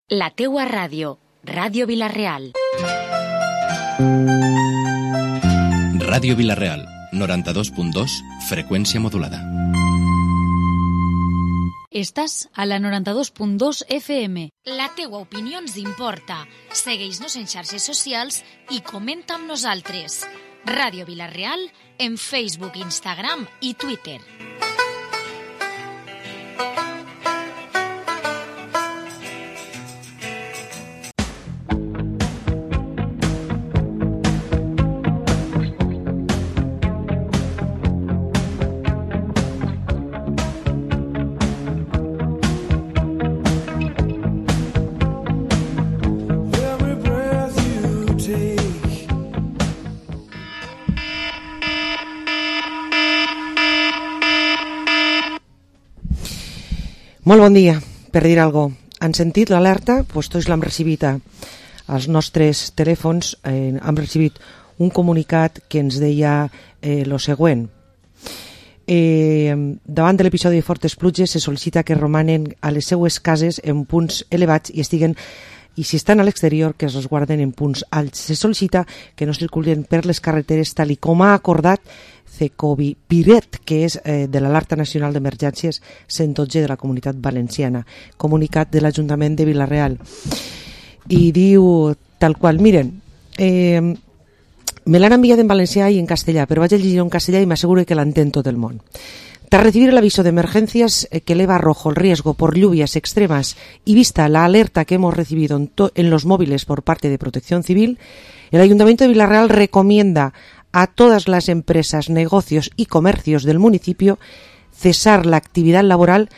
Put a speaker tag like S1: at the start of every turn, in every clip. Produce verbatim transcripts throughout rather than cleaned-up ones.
S1: La teua ràdio, Ràdio Vila-real.
S2: Ràdio Vila-real, noranta-dos punt dos, freqüència modulada.
S3: Estàs a la noranta-dos punt dos F M.
S1: La teua opinió ens importa. Segueix-nos en xarxes socials i comenta amb nosaltres. Ràdio Vila-real en Facebook, Instagram i Twitter.
S4: Molt bon dia, per dir alguna cosa. Han sentit l'alerta? Doncs tots l'hem recibit als nostres telèfons. Eh, hem recibit un comunicat que ens deia eh, lo següent. Eh, davant de l'episodi de fortes pluges se sol·licita que romanen a les seues cases en punts elevats i estiguen i si estan a l'exterior que es resguarden en punts alts. Se sol·licita que no circulen per les carreteres tal i com ha acordat Cecovi Piret, que és eh, de l'Alerta Nacional d'Emergències cent dotze de la Comunitat Valenciana. Comunicat de l'Ajuntament de Vila-real. I diu tal qual, miren, eh, me l'han enviat en valencià i en castellà, però vaig a llegir en castellà y me aseguro que l'entén tot el món. Tras recibir el aviso de emergencias que eleva a rojo el riesgo por lluvias extremas y vista la alerta que hemos recibido en, en los móviles por parte de Protección Civil, el Ayuntamiento de Vila-real recomienda a todas las empresas, negocios y comercios del municipio cesar la actividad laboral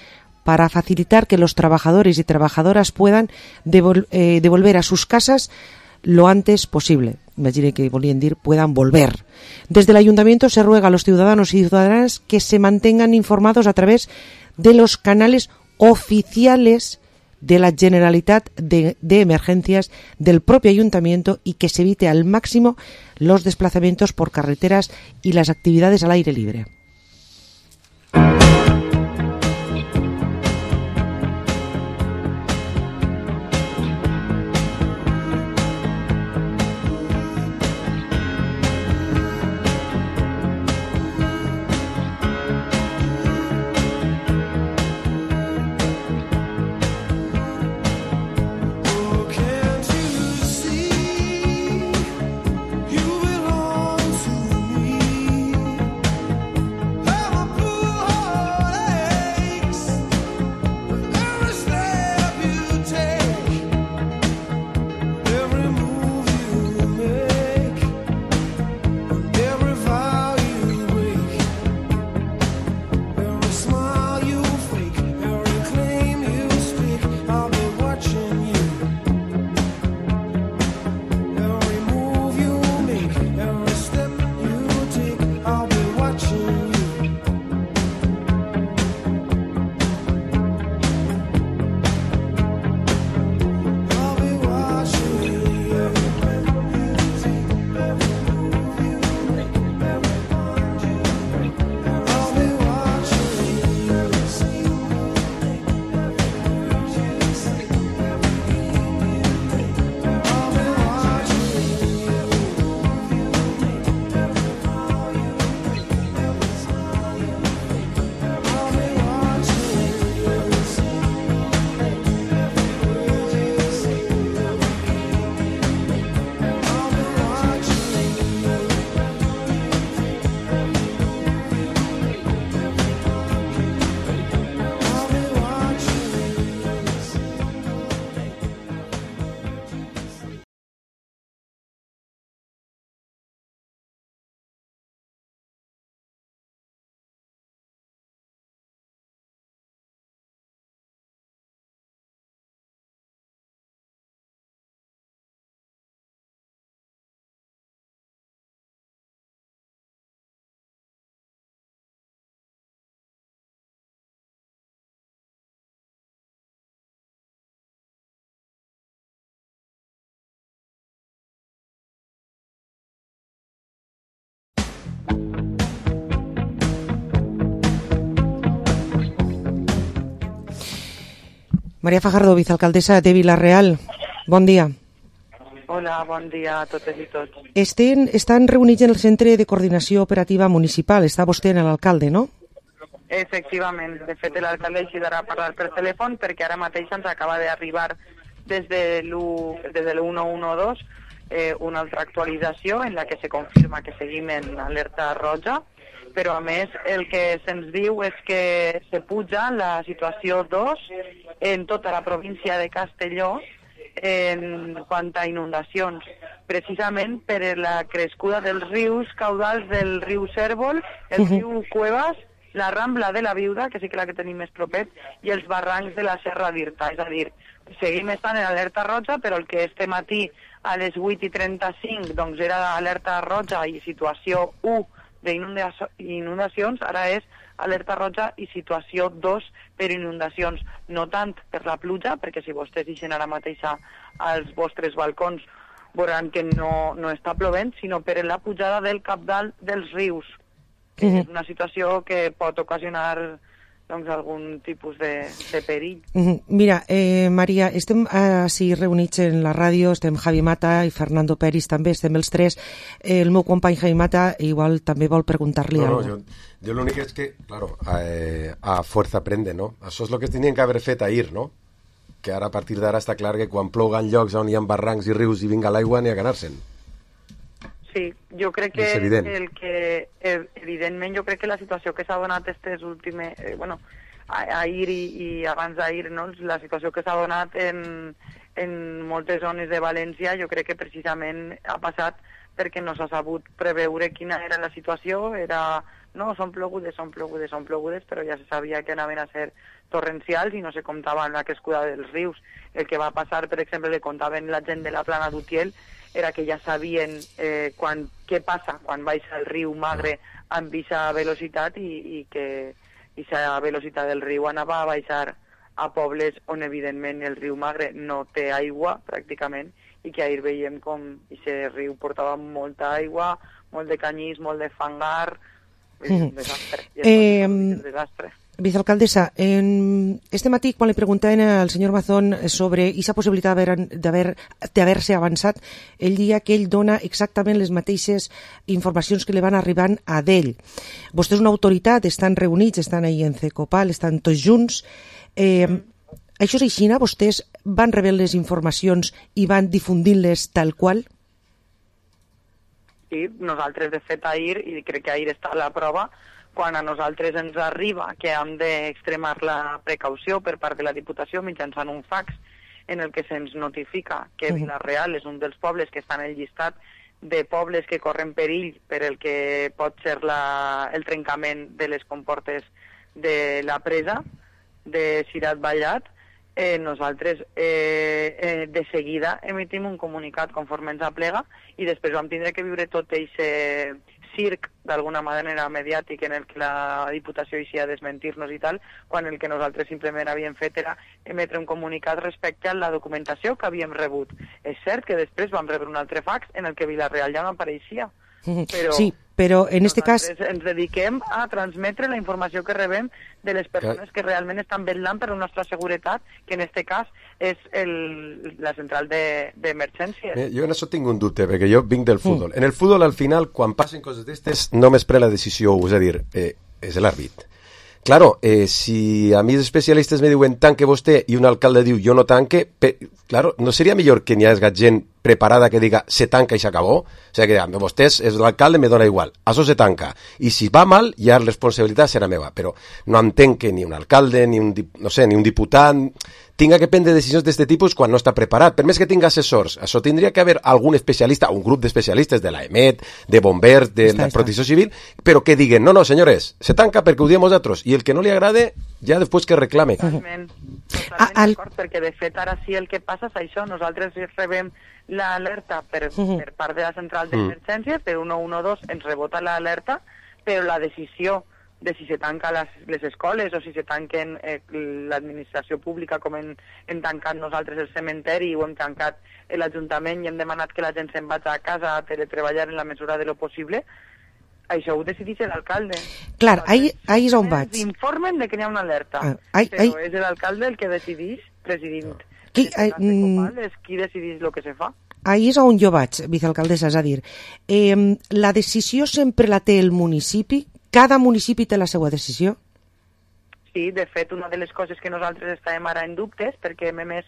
S4: para facilitar que los trabajadores y trabajadoras puedan devol- eh, devolver a sus casas lo antes posible. Imagine que volían decir puedan volver. Desde el Ayuntamiento se ruega a los ciudadanos y ciudadanas que se mantengan informados a través de los canales oficiales de la Generalitat de, de Emergencias del propio Ayuntamiento y que se evite al máximo los desplazamientos por carreteras y las actividades al aire libre.
S5: Oh
S4: Maria Fajardo, vicealcaldessa de Vila-real. Bon dia.
S5: Hola, bon dia a totes i tots.
S4: Estan, estan reunits en el Centre de Coordinació Operativa Municipal. Està vostè en l'alcalde, no?
S5: Efectivament. De fet, l'alcalde així darà parlar per telèfon perquè ara mateix ens acaba d'arribar des de l'u cent dotze eh, una altra actualització en la que se confirma que seguim en alerta roja, però a més el que se'ns diu és que se puja la situació dos en tota la província de Castelló en quant a inundacions, precisament per la crescuda dels rius caudals del riu Cérvol, el uh-huh. riu Cuevas, la Rambla de la Viuda, que sí que la que tenim més propet, i els barrancs de la Serra d'Irta. És a dir, seguim estant en alerta roja, però el que este matí a les vuit i trenta-cinc doncs era alerta roja i situació u d'inundacions, ara és alerta roja i situació dos per inundacions, no tant per la pluja, perquè si vostès deixen ara mateix als vostres balcons veuran que no, no està plovent, sinó per la pujada del cabdal dels rius, que uh-huh. és una situació que pot ocasionar doncs, algun tipus de, de perill.
S4: Uh-huh. Mira, eh, Maria, estem així reunits en la ràdio, estem Javi Mata i Fernando Peris també, estem els tres. Eh, el meu company Javi Mata igual també vol preguntar-li
S6: no, no,
S4: alguna
S6: cosa. Jo, jo l'únic és que, claro, eh, a fuerza prende, no? Això és el que tenien que haver fet ahir, no? Que ara a partir d'ara està clar que quan ploga en llocs on hi ha barrancs i rius i vinga l'aigua n'hi ha que anar-se'n.
S5: Sí, jo crec que el que evidentment jo crec que la situació que s'ha donat aquestes últimes, eh, bueno, ahir i, i abans d'ahir, no? La situació que s'ha donat en, en moltes zones de València, jo crec que precisament ha passat perquè no s'ha sabut preveure quina era la situació, era, no, són plogudes, són plogudes, són plogudes, però ja se sabia que anaven a ser torrencials i no se comptava amb la crescuda dels rius. El que va passar, per exemple, le contaven la gent de la Plana d'Utiel, era que ja sabien eh, quan, què passa quan baixa el riu Magre amb aquesta velocitat i, i que aquesta velocitat del riu anava a baixar a pobles on evidentment el riu Magre no té aigua pràcticament i que ahir veiem com aquest riu portava molta aigua, molt de canyís, molt de fangar, és un desastre. I
S4: eh,
S5: un desastre.
S4: Vicealcaldessa, en este matí quan li preguntaven al senyor Mazón sobre aquesta possibilitat d'haver-se avançat, ell dia que ell dona exactament les mateixes informacions que li van arribant a d'ell. Vostè és una autoritat, estan reunits, estan ahí en Cecopal, estan tots junts. Eh, això és així, vostès van rebre les informacions i van difundint-les tal qual?
S5: Sí, nosaltres de fet ahir, i crec que ahir està la prova, quan a nosaltres ens arriba que hem d'extremar la precaució per part de la Diputació mitjançant un fax en el que se'ns notifica que Vila-real és un dels pobles que està en el llistat de pobles que corren perill per el que pot ser la, el trencament de les comportes de la presa de Cirat Vallat, eh, nosaltres eh, eh, de seguida emitim un comunicat conforme ens aplega i després vam tindre que viure tot aquest circ, d'alguna manera mediàtic, en el que la Diputació eixia a desmentir-nos i tal, quan el que nosaltres simplement havíem fet era emetre un comunicat respecte a la documentació que havíem rebut. És cert que després vam rebre un altre fax en el que Vila-real ja no apareixia. Però
S4: sí, però en este cas
S5: ens dediquem a transmetre la informació que rebem de les persones que realment estan vetllant per la nostra seguretat, que en este cas és el, la central d'emergències. De,
S6: jo en això tinc un dubte, perquè jo vinc del futbol. Mm. En el futbol, al final, quan passen coses d'estes, només pren la decisió, és a dir, eh, és l'àrbit. Claro, eh, si a mi els especialistes me diuen tanque vostè i un alcalde diu jo no tanque, pe, claro, no seria millor que n'hi hagi gent preparada que diga se tanca i s'acabó? O sigui, que vostès, és l'alcalde, me dona igual, això se tanca. I si va mal, ja la responsabilitat serà meva. Però no entenc que ni un alcalde, ni un, no sé, ni un diputat tinga que prendre decisions d'aquest tipus quan no està preparat. Per més que tinga assessors, això tindria que haver algun especialista, un grup d'especialistes de l'A E M E T, de bombers, de està, la protecció està. Civil, però que diguen, no, no, senyores, se tanca perquè ho diem nosaltres, i el que no li agrade, ja després que reclame.
S5: Totalment, totalment al... d'acord, perquè de fet ara sí el que passa és això, nosaltres rebem l'alerta per, uh-huh. per part de la central d'emergències, per un nou un dos ens rebota l'alerta, però la decisió de si se tanca les, les escoles o si se tanquen eh, l'administració pública com hem, hem tancat nosaltres el cementeri o hem tancat l'Ajuntament i hem demanat que la gent se'n vagi a casa a teletreballar en la mesura de lo possible, això ho decideix l'alcalde.
S4: Clar, ahí, ahí és on vaig.
S5: Ens informen de que hi ha una alerta,
S4: ah, ai,
S5: però
S4: ai.
S5: és l'alcalde el que decideix president.
S4: Qui,
S5: En
S4: eh,
S5: este cas de Copal és qui decidís el que se fa.
S4: Ahí és on jo vaig, vicealcaldessa, és a dir, eh, la decisió sempre la té el municipi? Cada municipi té la seva decisió?
S5: Sí, de fet, una de les coses que nosaltres estàvem ara en dubtes, perquè hem emès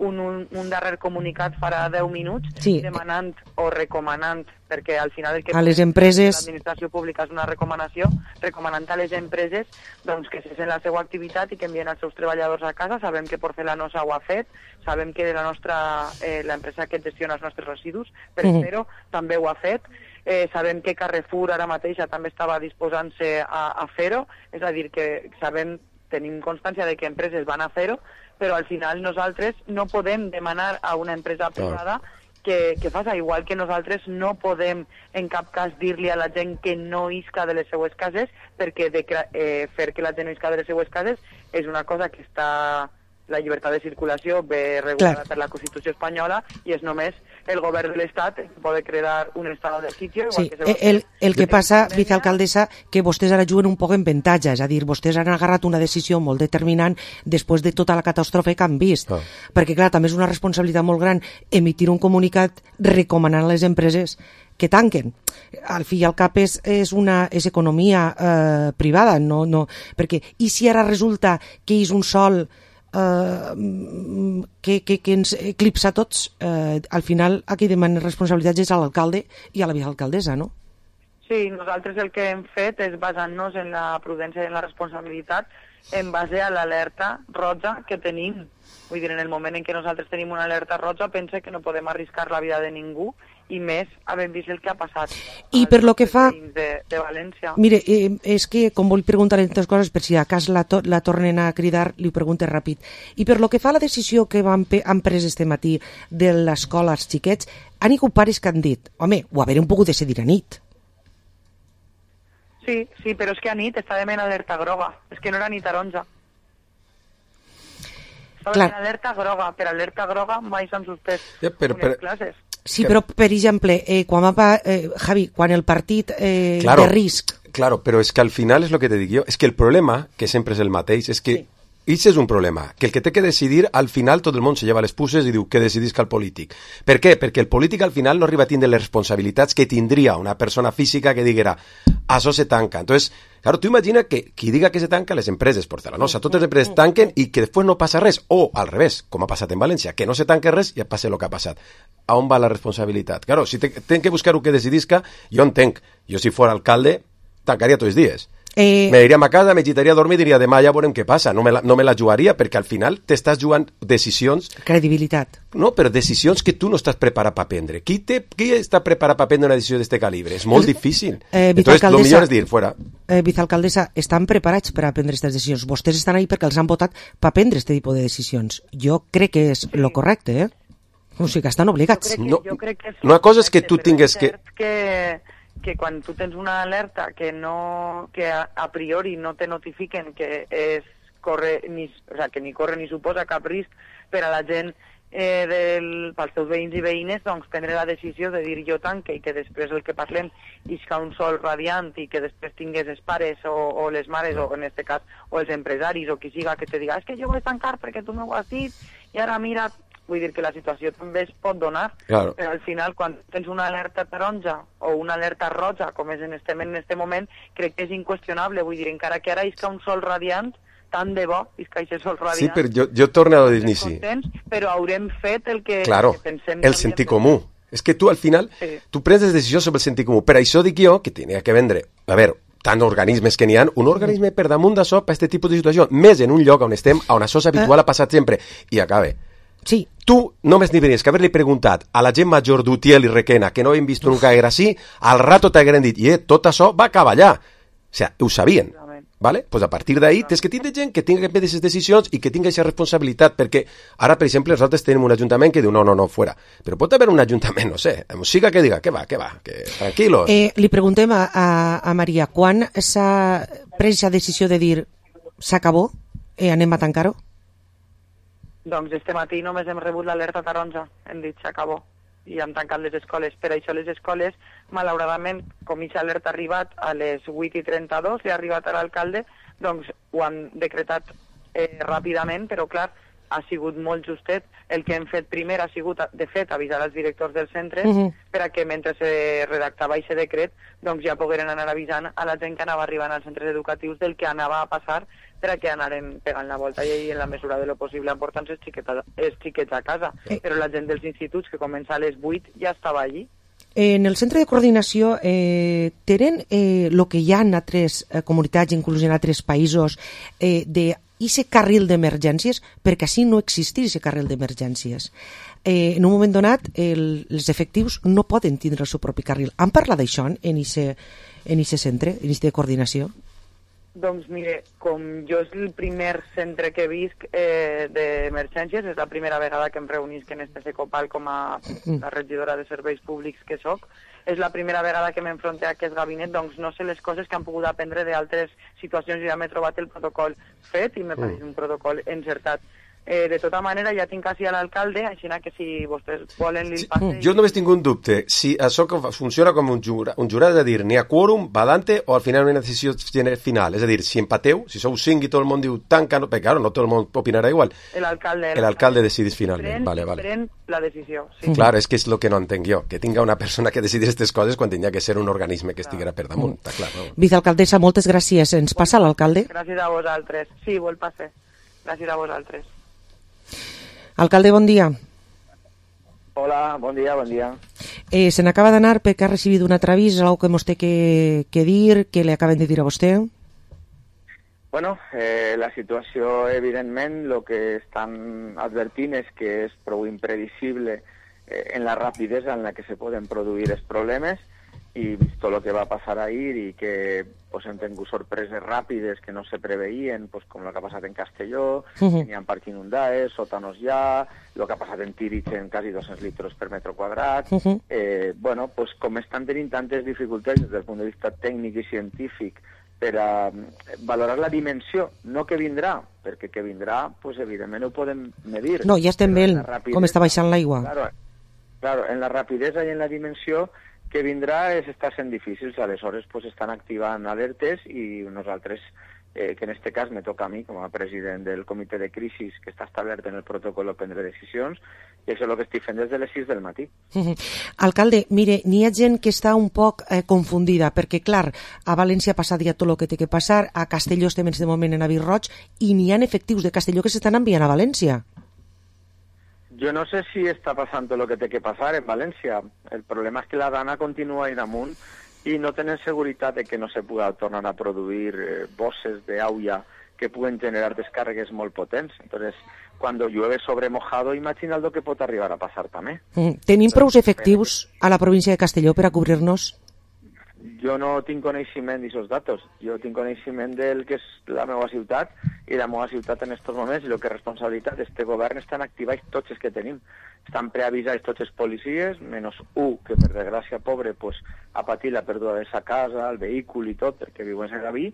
S5: un, un, un darrer comunicat farà deu minuts
S4: Sí.
S5: demanant o recomanant, perquè al final el que
S4: A les empreses-
S5: l'administració pública és una recomanació, recomanant a les empreses doncs, que cesen la seva activitat i que envien els seus treballadors a casa. Sabem que Porcelanosa ho ha fet, sabem que la nostra eh, l'empresa que gestiona els nostres residus, per
S4: Mhm.
S5: Espero, també ho ha fet. Eh, sabem que Carrefour ara mateixa també estava disposant-se a, a fer-ho, és a dir, que sabem, tenim constància de que empreses van a fer-ho, però al final nosaltres no podem demanar a una empresa privada que, que faci, igual que nosaltres no podem en cap cas dir-li a la gent que no isca de les seues cases, perquè de, eh, fer que la gent no isca de les seues cases és una cosa que està... La llibertat de circulació ve regulada
S4: Clar.
S5: per la Constitució espanyola i és només el govern de l'Estat que pot crear un estat de sitio. Igual
S4: Sí,
S5: que se va
S4: el, el que
S5: fer
S4: passa,
S5: en
S4: vicealcaldessa, que vostès ara juguen un poc en avantatge, és a dir, vostès han agarrat una decisió molt determinant després de tota la catàstrofe que han vist.
S6: Ah.
S4: Perquè, clar, també és una responsabilitat molt gran emitir un comunicat recomanant a les empreses que tanquen. Al fi i al cap és, és, una, és economia eh, privada, no, no, perquè, i si ara resulta que és un sol Uh, que, que, que ens eclipsa tots, uh, al final a qui demana responsabilitats és a l'alcalde i a la vicealcaldessa, no?
S5: Sí, nosaltres el que hem fet és basant-nos en la prudència i en la responsabilitat en base a l'alerta roja que tenim. Vull dir, en el moment en què nosaltres tenim una alerta roja, pense que no podem arriscar la vida de ningú, i més havent vist el que ha passat.
S4: I per lo que fa...
S5: De, de València.
S4: Mire, eh, és que com vull preguntar aquestes coses, per si a cas la, to la tornen a cridar, li pregunte ràpid. I per lo que fa a la decisió que van han pres este matí de l'escola als xiquets, han hagut pares que han dit, home, ho haver un poc de decidir a nit.
S5: Sí, sí, però és que a nit estàvem en alerta groga. És que no era ni taronja. Estàvem
S4: Clar.
S5: en alerta groga. Per alerta groga mai s'han suspès
S6: Ja, però-
S5: unes
S6: però-
S5: classes.
S4: Sí, però, per exemple, eh, quan va, eh, Javi, quan el partit eh,
S6: Claro,
S4: de risc...
S6: Claro, pero es que al final es lo que te digo yo, es que el problema, que sempre és el mateix, és que
S4: Sí.
S6: Ix és un problema, que el que té que decidir, al final tot el món se lleva les puces i diu que decidisca el polític. Per què? Perquè el polític al final no arriba a tindre les responsabilitats que tindria una persona física que diguera això se tanca. Entonces, claro, tu imagina que qui diga que se tanca, les empreses Porcelanosa, totes les empreses tanquen i que després no passa res, o al revés, com ha passat en València, que no se tanque res i passa el que ha passat. A on va la responsabilitat? Claro, si ten que buscar el que decidisca, jo entenc, jo si fos alcalde, tancaria tots els dies.
S4: Eh,
S6: Me iria a ma casa, me gitaria a dormir i diria demà ja veurem què passa. No me la, no me la jugaria perquè al final t'estàs jugant decisions,
S4: credibilitat.
S6: no, però decisions que tu no estàs preparat per prendre. Qui, te, qui està preparat per prendre una decisió d'aquest calibre? És molt difícil.
S4: Eh,
S6: Entonces, lo
S4: vicealcaldessa-
S6: millor és dir, fuera.
S4: Eh, vicealcaldessa, estan preparats per a prendre aquestes decisions. Vostès estan ahí perquè els han votat per prendre aquest tipus de decisions. Jo crec que és lo correcte, eh? O sigui que estan obligats.
S5: Jo crec que,
S6: No,
S5: jo crec que és
S6: una cosa és que tu
S5: correcte, però
S6: tingues
S5: és
S6: que-
S5: cert que que quan tu tens una alerta que no que a, a priori no te notifiquen que és corre ni, o sea, que ni corre ni suposa cap risc per a la gent eh, del, pels teus veïns i veïnes, doncs prendre la decisió de dir jo tanque i que després el que parlem isca un sol radiant i que després tingués els pares o, o les mares o en este cas o els empresaris o qui siga que te diga és que jo vull tancar perquè tu m'ho has dit i ara mira. Vull dir que la situació també es pot donar,
S6: Claro.
S5: però al final quan tens una alerta taronja o una alerta roja, com és en este, en este moment, crec que és inqüestionable. Vull dir, encara que ara isca un sol radiant, tant de bo isca aquest sol radiant.
S6: Sí, però jo, jo torno a dir-n'hi sí.
S5: Contents, però haurem fet el que,
S6: Claro,
S5: que pensem que
S6: el
S5: havíem
S6: sentit
S5: de
S6: comú. És que tu al final,
S5: Sí.
S6: tu prens les decisions sobre el sentit comú. Per això dic jo que tenia que vendre, a veure, tant organismes que n'hi ha, un organisme per damunt d'això per aquest tipus de situació, més en un lloc on estem, on això és habitual, ha passat sempre, i acabe.
S4: Sí,
S6: Tu només n'hi venies que haver-li preguntat a la gent major d'Utiel i Requena, que no havien vist nunca era així, al rato t'hagueren dit, i eh, tot això va acabar allà. O sigui, ho sabien. Vale? Pues a partir d'ahí tens que tindre gent que tingui que prendre aquestes decisions i que tingui aquesta responsabilitat, perquè ara, per exemple, nosaltres tenim un ajuntament que diu no, no, no, fora. Però pot haver un ajuntament, no sé, amb siga que diga, que va, que va, que tranquilos.
S4: eh, li preguntem a, a, a Maria, quan s'ha pres la decisió de dir s'acabó, eh, anem a tancar-ho?
S5: Doncs este matí només hem rebut l'alerta taronja, hem dit s'acabó i han tancat les escoles. Per això les escoles, malauradament, com aquesta alerta ha arribat a les vuit i trenta-dos, li ha arribat a l'alcalde, doncs ho han decretat eh, ràpidament, però clar, ha sigut molt justet. El que hem fet primer ha sigut, de fet, avisar als directors dels centres
S4: Uh -huh.
S5: per a que mentre se redactava aquest decret doncs ja pogueren anar avisant a la gent que anava arribant als centres educatius del que anava a passar per a que anaren pegant la volta i en la mesura de lo possible portant els xiquets, els xiquets a casa.
S4: Eh.
S5: Però la gent dels instituts que comença a les vuit ja estava allí.
S4: En el centre de coordinació eh, tenen el eh, que hi ha en altres eh, comunitats, inclús en altres països, eh, de ese carril d'emergències, perquè així no existeix ese carril d'emergències. Eh, en un moment donat, el, els efectius no poden tindre el seu propi carril. Han parlat d'això en ese, en ese centre, en ese de coordinació?
S5: Doncs mire, com jo és el primer centre que visc eh, d'emergències, és la primera vegada que em reunisc en este Secopal com a la regidora de serveis públics que soc, és la primera vegada que m'enfronte a aquest gabinet, doncs no sé les coses que han pogut aprendre d'altres situacions. Jo ja m'he trobat el protocol fet i me pareix un protocol encertat. Eh, de tota manera, ja tinc quasi a l'alcalde, així que si vostès volen li passe...
S6: Jo només tinc un dubte, si això funciona com un jurat, un jurat, és a dir, n'hi ha quòrum, va dante, o al final una decisió final, és a dir, si empateu, si sou cinc i tot el món diu tanca, no, perquè claro, no tot el món opinarà igual.
S5: L'alcalde.
S6: L'alcalde decidís finalment,
S5: pren,
S6: vale, vale.
S5: Pren la decisió, sí.
S6: Clar, és que és el que no entenc jo, que tinga una persona que decidi aquestes coses quan tindria que ser un organisme que estiguera per damunt, està clar, no?
S4: Vicealcaldessa, moltes gràcies. Ens passa l'alcalde?
S5: Gràcies a vosaltres. Sí, vol passar. Gràcies a vosaltres.
S4: Alcalde, bon dia.
S7: Hola, bon dia, bon dia.
S4: Eh, se n'acaba d'anar perquè ha recibit un altre avís, algo que mos té que, que dir, que li acaben de dir a vostè?
S7: Bueno, eh, la situació, evidentment, el que estan advertint és que és prou imprevisible eh, en la rapidesa en la que se poden produir els problemes, i vist el que va passar ahir i que pues, hem tingut sorpreses ràpides que no se preveien, pues, com el que ha passat en Castelló, uh -huh. n'hi ha parcs inundats, sòtanos ja, el que ha passat en Tírig en quasi dos-cents litres per metre quadrat. Uh -huh. eh, bueno, pues, com estan tenint tantes dificultats des del punt de vista tècnic i científic per a valorar la dimensió, no que vindrà, perquè que vindrà, pues, evidentment ho podem medir.
S4: No, ja estem veient com està baixant l'aigua.
S7: Claro, claro, en la rapidesa i en la dimensió que vindrà és, està sent difícil, aleshores pues, estan activant alertes i nosaltres, eh, que en aquest cas me toca a mi com a president del comitè de crisis que està establert en el protocol a prendre decisions, i això és el que estic fent des de les sis del matí.
S4: Uh-huh. Alcalde, mire, n'hi ha gent que està un poc eh, confundida, perquè clar, a València ha passat ja tot el que té que passar, a Castelló estem en aquest moment en avís roig, i n'hi ha efectius de Castelló que s'estan enviant a València.
S7: Jo no sé si està passant tot el que té que passar en València. El problema és que la dana continua ahí damunt i no tenen seguretat de que no se pugui tornar a produir eh, bosses d'aigua que puguen generar descàrregues molt potents. Entonces, cuando llueve sobre mojado, imagina't el que pot arribar a passar també.
S4: Mm. Tenim prou efectius a la província de Castelló per a cobrir-nos?
S7: Jo no tinc coneixement d'aquests datos. Jo tinc coneixement del que és la meva ciutat, i la meva ciutat en aquests moments, i el que és responsabilitat d'este govern, estan activats tots els que tenim. Estan preavisats tots els policies, menys un que, per desgràcia, pobre, pues, ha patit la pèrdua de sa casa, el vehicle i tot, perquè viu en Segaví,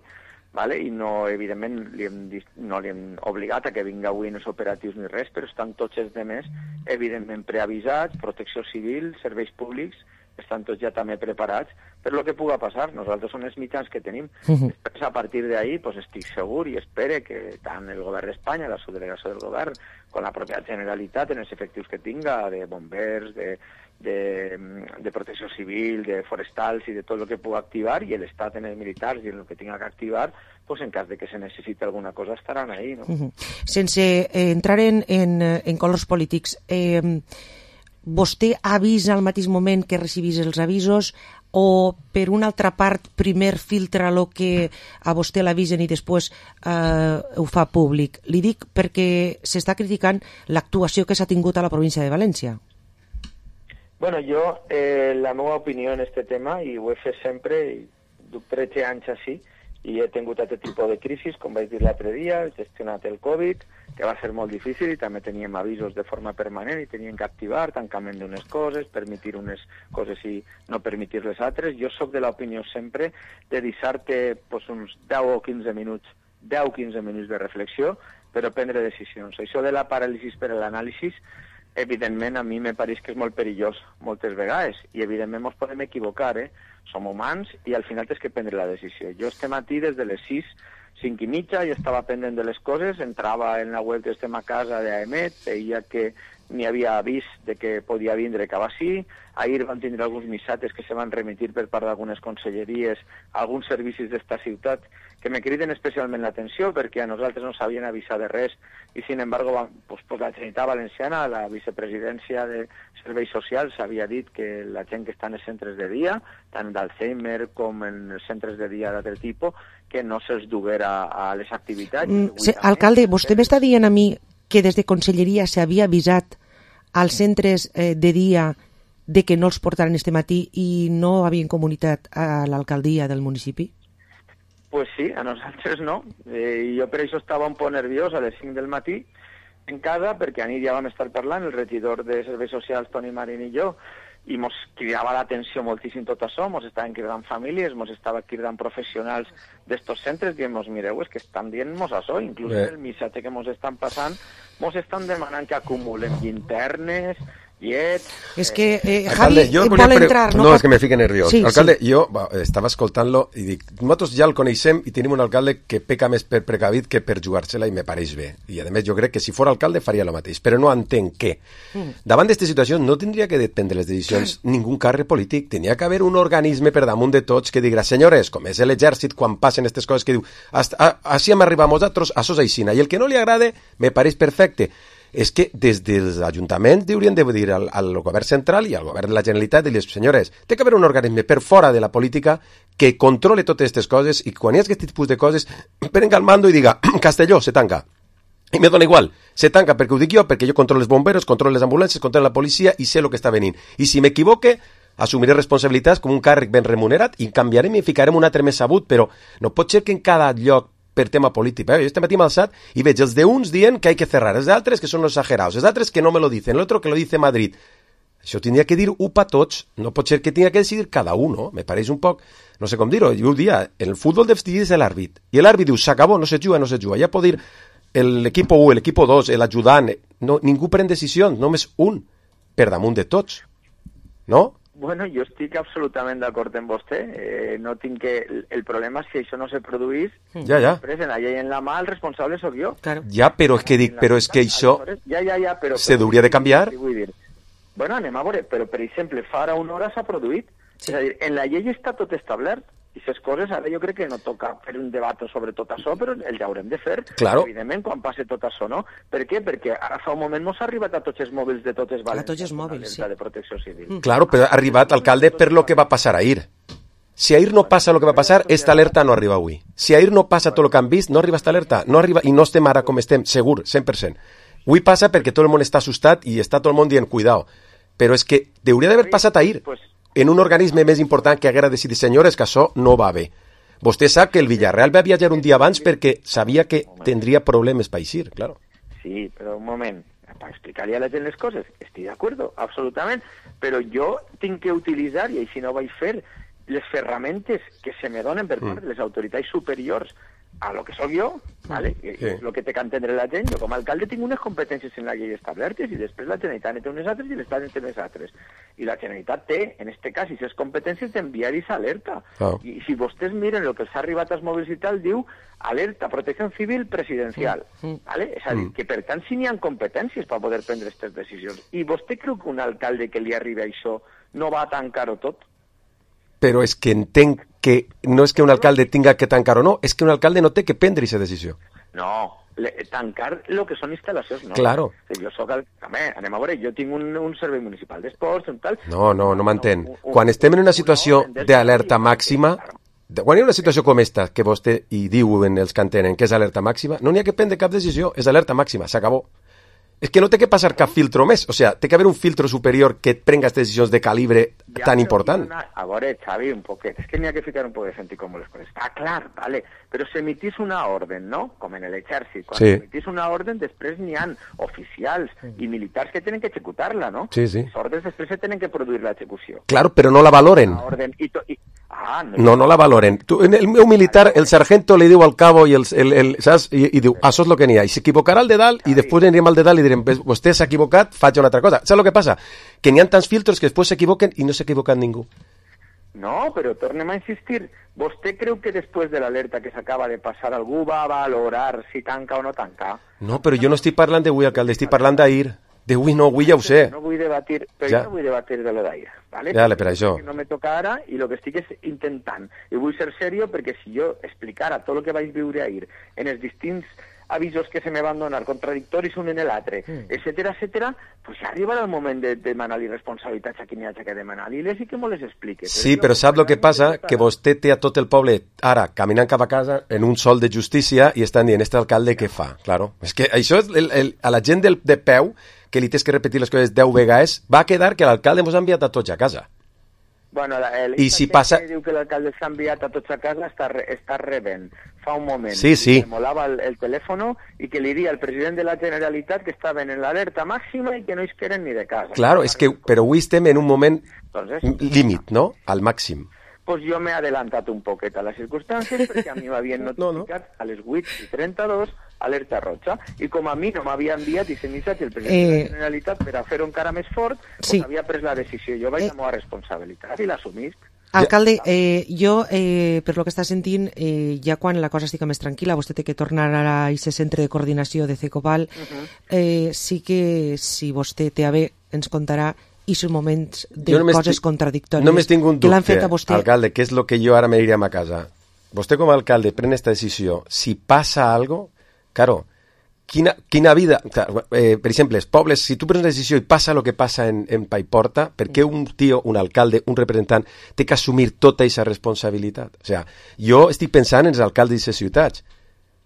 S7: vale? I no, evidentment, li hem, no li hem obligat a que vinga avui en els operatius ni res, però estan tots els demés, evidentment, preavisats, protecció civil, serveis públics, estan tots ja també preparats per lo que puga passar. Nosaltres són els mitjans que tenim. Uh-huh. Després, a partir d'ahí, pues, estic segur i espere que tant el govern d'Espanya, la subdelegació del govern, com la pròpia Generalitat, en els efectius que tinga, de bombers, de, de, de protecció civil, de forestals i de tot el que puga activar, i l'Estat en els militars i en el que tinga que activar, pues, en cas de que se necessiti alguna cosa, estaran ahí, no?
S4: Uh-huh. Sense eh, entrar en, en, en colors polítics, eh, vostè avisa al mateix moment que recibís els avisos, o per una altra part primer filtra el que a vostè l'avisen i després eh, ho fa públic? Li dic perquè s'està criticant l'actuació que s'ha tingut a la província de València.
S7: Bueno, jo, eh, la meva opinió en aquest tema, i ho he fet sempre, i duc tretze anys així, i he tingut aquest tipus de crisis, com vaig dir l'altre dia, he gestionat el Covid, que va ser molt difícil, i també teníem avisos de forma permanent, i teníem que activar tancament d'unes coses, permetir unes coses i no permetir les altres. Jo sóc de l'opinió sempre de deixar-te pues, uns deu o quinze minuts, deu o quinze minuts de reflexió, però prendre decisions. Això de la paràlisi per a l'anàlisi, evidentment, a mi me pareix que és molt perillós moltes vegades, i evidentment ens podem equivocar, eh? Som humans i al final tens que prendre la decisió. Jo este matí, des de les sis, cinc i mitja, i estava pendent de les coses, entrava en la web d'Estem a Casa d'Aemet, veia que n'hi havia avís de que podia vindre cap així. Ahir van tindre alguns missatges que se van remitir per part d'algunes conselleries a alguns servicis d'esta ciutat que me criden especialment l'atenció perquè a nosaltres no s'havien avisat de res i, sin embargo, van, pues, pues, la Generalitat Valenciana, la vicepresidència de Serveis Socials, havia dit que la gent que està en els centres de dia, tant d'Alzheimer com en els centres de dia d'altre tipus, que no se'ls duguera a les activitats.
S4: Mm, se, alcalde, vostè m'està dient a mi que des de Conselleria s'havia avisat als centres eh, de dia de que no els portaran este matí i no havien comunicat a l'alcaldia del municipi?
S7: Pues sí, a nosaltres no. Eh, jo per això estava un poc nerviós a les cinc del matí en casa, perquè anit ja vam estar parlant, el regidor de Serveis Socials, Toni Marín i jo, i mos cridava l'atenció moltíssim tot això, mos estaven cridant famílies, mos estaven cridant professionals d'estos centres, dient-nos, mireu, és que estan dient-nos això, inclús eh. el missatge que mos estan passant, mos estan demanant que acumulem llinternes, llet...
S4: És que eh,
S6: Alcalde,
S4: Javi vol
S6: pre...
S4: entrar...
S6: No,
S4: no
S6: és que me fique nerviós.
S4: Sí,
S6: alcalde,
S4: sí.
S6: jo va, estava escoltant-lo i dic, nosaltres ja el coneixem i tenim un alcalde que peca més per precavit que per jugar-se-la i me pareix bé. I a més jo crec que si fos alcalde faria el mateix, però no entenc què. Mm. Davant d'aquesta situació no tindria que prendre les decisions mm. ningú càrrec polític, tenia que haver un organisme per damunt de tots que digra, senyores, com és l'exèrcit quan passen aquestes coses que diu, així hem arribat nosaltres, això és aixina, i el que no li agrada me pareix perfecte. És que des dels ajuntaments haurien de dir al, al govern central i al govern de la Generalitat i les senyores, té que haver un organisme per fora de la política que controle totes aquestes coses i quan hi ha aquest tipus de coses prenga el mando i diga, Castelló, se tanca. I me dona igual, se tanca perquè ho dic jo, perquè jo controlo els bomberos, controlo les ambulàncies, controlo la policia i sé el que està venint. I si m'equivoque, assumiré responsabilitats com un càrrec ben remunerat i canviarem i ficarem un altre més sabut, però no pot ser que en cada lloc per tema polític. Eh? Jo este matí m'he alçat i veig els d'uns dient que hay que cerrar, els d'altres que són exagerados, els altres que no me lo dicen, l'altre que lo dice Madrid. Això tindria que dir u pa tots, no pot ser que tindria que decidir cada uno, me pareix un poc, no sé com dir-ho, jo ho dia, en el futbol decidir és l'àrbit, i l'àrbit diu, s'acabó, no se juga, no se juga, ja pot dir l'equip u, l'equip dos, l'ajudant, no, ningú pren decisions, només un, per damunt de tots, no?
S7: Bueno, jo estic absolutament d'acord amb vostè. Eh, no tinc que... El problema és si això no se produís,
S6: ja, ja.
S7: després en la llei en la mà el responsable sóc jo.
S4: Claro.
S6: Ja, però és que dic, però és que això
S7: ja, ja, ja, però,
S6: se
S7: però,
S6: hauria de canviar?
S7: Vull dir, bueno, anem a veure, però per exemple, fa ara una hora s'ha produït. Sí. És a dir, en la llei està tot establert. I aquestes coses, ara jo crec que no toca fer un debat sobre tot això, però el ja haurem de fer,
S6: claro.
S7: Evidentment, quan passe tot això, no? Per què? Perquè ara fa un moment no s'ha arribat a tots els mòbils de totes valencianes.
S4: A tots els mòbils, sí.
S7: De protecció civil.
S6: Mm. Claro, però ha arribat, alcalde, per lo que va passar ahir. Si ahir no passa lo que va passar, esta alerta no arriba avui. Si ahir no passa tot el que han vist, no arriba esta alerta. No arriba, i no estem ara com estem, segur, cent per cent. Avui passa perquè tot el món està assustat i està tot el món dient, cuidao. Però és que hauria d'haver passat ahir en un organisme més important que haguera decidit, senyores, que això no va bé. Vostè sap que el Villarreal va viatjar un dia abans perquè sabia que tindria problemes per eixir, claro.
S7: Sí, però un moment, per explicar-li a la gent les coses, estic d'acord, absolutament, però jo tinc que utilitzar, i així no vaig fer, les ferramentes que se me donen per part de les autoritats superiors a lo que sóc jo, ¿vale? Sí. És el que té que entendre la gent. Jo com a alcalde tinc unes competències en la llei establertes i després la Generalitat té unes altres i l'Estat té unes altres. I la Generalitat té, en este cas, i les competències d'enviar i alerta. Oh. I si vostès miren el que s'ha arribat als mòbils i tal, diu alerta, protecció civil presidencial. Mm. ¿Vale? És a dir, que per tant si n'hi ha competències per poder prendre aquestes decisions. I vostè creu que un alcalde que li arriba això no va a tancar-ho tot?
S6: Però és que entenc que no és que un alcalde tinga que tancar o no, és que un alcalde no té que prendre aquesta decisió.
S7: No, le, tancar el que són instal·lacions, no.
S6: Claro.
S7: Jo soc el... Home, anem a veure, jo tinc un, un servei municipal d'esports, un tal...
S6: No, no, no m'entén. Quan estem en una situació d'alerta màxima, quan hi ha una situació com esta, que vostè hi diuen els que entenen que és alerta màxima, no n'hi ha que prendre cap decisió, és alerta màxima, s'acabó. És que no té que passar cap filtro més, o sigui, té que haver un filtro superior que et prenga aquestes decisions de calibre ja, tan important.
S7: Una, a veure, Xavi, un poquet, és que n'hi ha que ficar un poc de sentit com les coses. Està clar, vale, però s'emitís una orden, no? Com en l'exèrcit. Quan sí. s'emitís una orden, després n'hi ha oficials i militars que tenen que executar-la, no?
S6: Sí, sí.
S7: Les ordres després se tenen que produir l'execució.
S6: Claro, però no la valoren.
S7: La orden i to, i... Ah, no,
S6: no, no la valoren. Tu, en el meu militar, el sargento li diu al cabo i, el, el, el, saps? I, i diu, això és el que n'hi ha. I s'equivocarà el de dalt i després anirem al de dalt i direm, vostè s'ha equivocat, faig una altra cosa. Saps el que passa? Que n'hi ha tants filtros que després s'equivoquen i no s'ha equivocat ningú.
S7: No, però tornem a insistir. Vostè creu que després de l'alerta que s'acaba de passar algú va valorar si tanca o no tanca?
S6: No, però jo no estic parlant d'avui, alcalde, estic parlant d'ahir. D'avui no, avui ja ho sé.
S7: No vull debatir, però ja. no vull debatir de lo d'ahir. ¿vale?
S6: Dale, per això.
S7: No me toca ara i el que estic és intentant. I vull ser serio perquè si jo explicara tot el que vaig viure ahir en els distints avisos que se me van donar, contradictoris un en l'altre, mm. etcètera, etcètera, pues ja arribarà el moment de demanar-li responsabilitats a qui n'hi hagi que demanar-li-les i que me les explique.
S6: Sí, però sap el que passa? Que vostè té a tot el poble ara caminant cap a casa en un sol de justícia i estan dient, este alcalde què fa? Claro, és que això és el, el, a la gent del, de peu, que li tens que repetir les coses deu vegades, va quedar que l'alcalde mos ha enviat a tots a casa.
S7: Bueno, la, el
S6: I si passa...
S7: que diu que l'alcalde s'ha enviat a tots a casa està, re, està rebent fa un moment.
S6: Sí, sí.
S7: Que molava el, el telèfon i que li diria al president de la Generalitat que estaven en l'alerta màxima i que no es queren ni de casa.
S6: Claro, és que, però avui estem en un moment
S7: Entonces,
S6: límit, no? Al màxim.
S7: Pues jo m'he adelantat un poquet a les circumstàncies perquè a mi m'havien notificat no, no. a les vuit i trenta-dos alerta roja, i com a mi no m'havia enviat i missatge el president eh... de la Generalitat per a fer-ho encara més fort, pues sí. havia pres la decisió. Jo vaig eh... a la meva responsabilitat i l'assumisc.
S4: Alcalde, eh, jo, eh, per lo que està sentint, eh, ja quan la cosa estica més tranquil·la, vostè té que tornar ara a aquest centre de coordinació de Cecoval, uh-huh. eh, sí que si vostè té a bé ens contarà i sus moments de coses contradictòries
S6: només tinc un
S4: que l'han fet
S6: dubte,
S4: a vostè.
S6: Alcalde, que és el que jo ara me iríem a casa. Vostè com a alcalde pren esta decisió. Si passa algo, claro, quina, quina vida... Eh, per exemple, els pobles, si tu prens una decisió i passa el que passa en, en Paiporta, per què un tio, un alcalde, un representant, té que assumir tota aquesta responsabilitat? O sea, jo estic pensant en els alcaldes d'aquestes ciutats.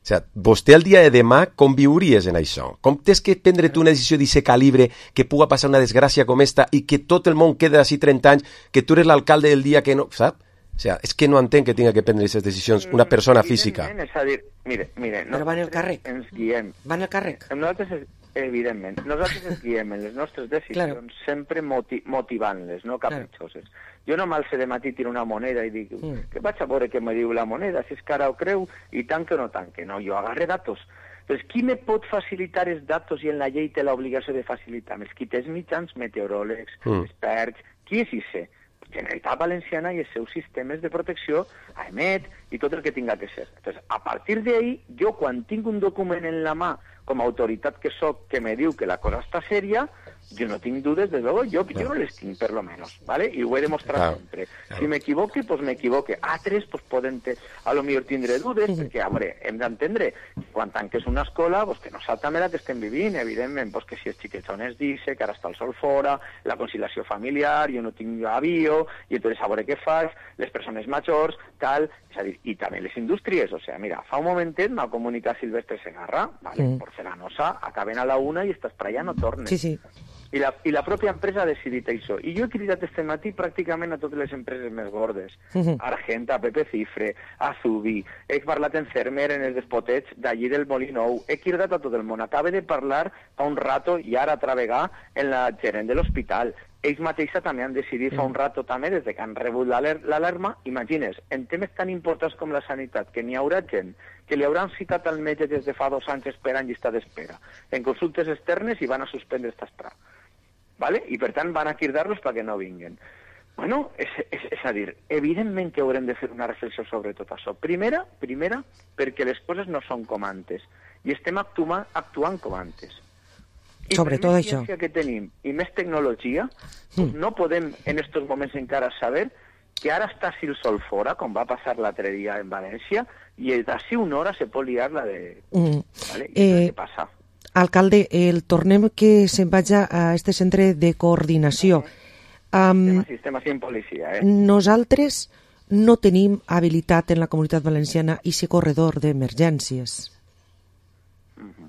S6: O sea, vostè el dia de demà com viuries en això? Com tens que prendre tu una decisió d'aquest calibre que puga passar una desgràcia com esta i que tot el món queda d'ací trenta anys, que tu eres l'alcalde del dia que no... Sap? O sea, és que no entenc que tinga que prendre aquestes decisions una persona física.
S7: És a dir, mire, mire...
S4: Però van el càrrec.
S7: Ens guiem.
S4: Van el càrrec.
S7: Nosaltres, evidentment, nosaltres ens guiem en les nostres decisions claro. sempre moti motivant-les, no capritxoses. Claro. Jo no m'alce de matí tiro una moneda i dic mm. que vaig a veure què me diu la moneda, si és cara o creu, i tanque o no tanque. No, jo agarre datos. Però qui me pot facilitar els datos i en la llei té l'obligació de facilitar? Els qui té els mitjans, meteoròlegs, mm. experts, qui és I C? Generalitat Valenciana i els seus sistemes de protecció, a emet i tot el que tinga que ser. Entonces, a partir d'ahí, jo quan tinc un document en la mà, com a autoritat que soc, que me diu que la cosa està sèria, jo no tinc dudes, des luego, jo, jo no les tinc, per lo menos, ¿vale? I ho he demostrat claro, sempre. Claro. Si m'equivoque, pues m'equivoque. Altres, pues poden, te, a lo millor tindré dudes, perquè, a veure, hem d'entendre, quan tanques una escola, pues que no salta la que estem vivint, evidentment, pues que si els xiquets on es dice, que ara està el sol fora, la conciliació familiar, jo no tinc avió, i entonces a veure què fas, les persones majors, tal, és a dir, i també les indústries, o sea, mira, fa un momentet m'ha comunicat Silvestre Segarra, vale, mm. porcelanosa, acaben a la una i estàs per allà, no tornes.
S4: Sí, sí.
S7: I la, I la pròpia empresa ha decidit això. I jo he cridat este matí pràcticament a totes les empreses més gordes. Uh-huh. Argenta, Pepe Cifre, Azubi, he parlat en Cermer, en els despotets d'allí del Molinou, he cridat a tot el món. Acaba de parlar fa un rato i ara a travegar en la gerent de l'hospital. Ells mateixa també han decidit fa un rato també, des que han rebut l'alarma, imagines, en temes tan importants com la sanitat, que n'hi haurà gent que li hauran citat al metge des de fa dos anys esperant llista d'espera, en consultes externes i van a suspendre esta espera. ¿Vale? I per tant van a cridar-los perquè no vinguen. Bueno, és, és, és a dir, evidentment que haurem de fer una reflexió sobre tot això. Primera, primera, perquè les coses no són com antes, i estem actuant, actuant com antes. I
S4: sobre
S7: per
S4: tot
S7: més
S4: això.
S7: ciència que tenim i més tecnologia, mm. no podem en estos moments encara saber que ara està si el sol fora, com va passar l'altre dia en València, i d'ací una hora se pot liar la de... Mm. ¿Vale? I eh... què passa?
S4: Alcalde, el tornem que se'n vaja a este centre de coordinació. Um,
S7: sistema, sistema sin policia, eh?
S4: Nosaltres no tenim habilitat en la Comunitat Valenciana i ese corredor d'emergències.
S7: Uh-huh.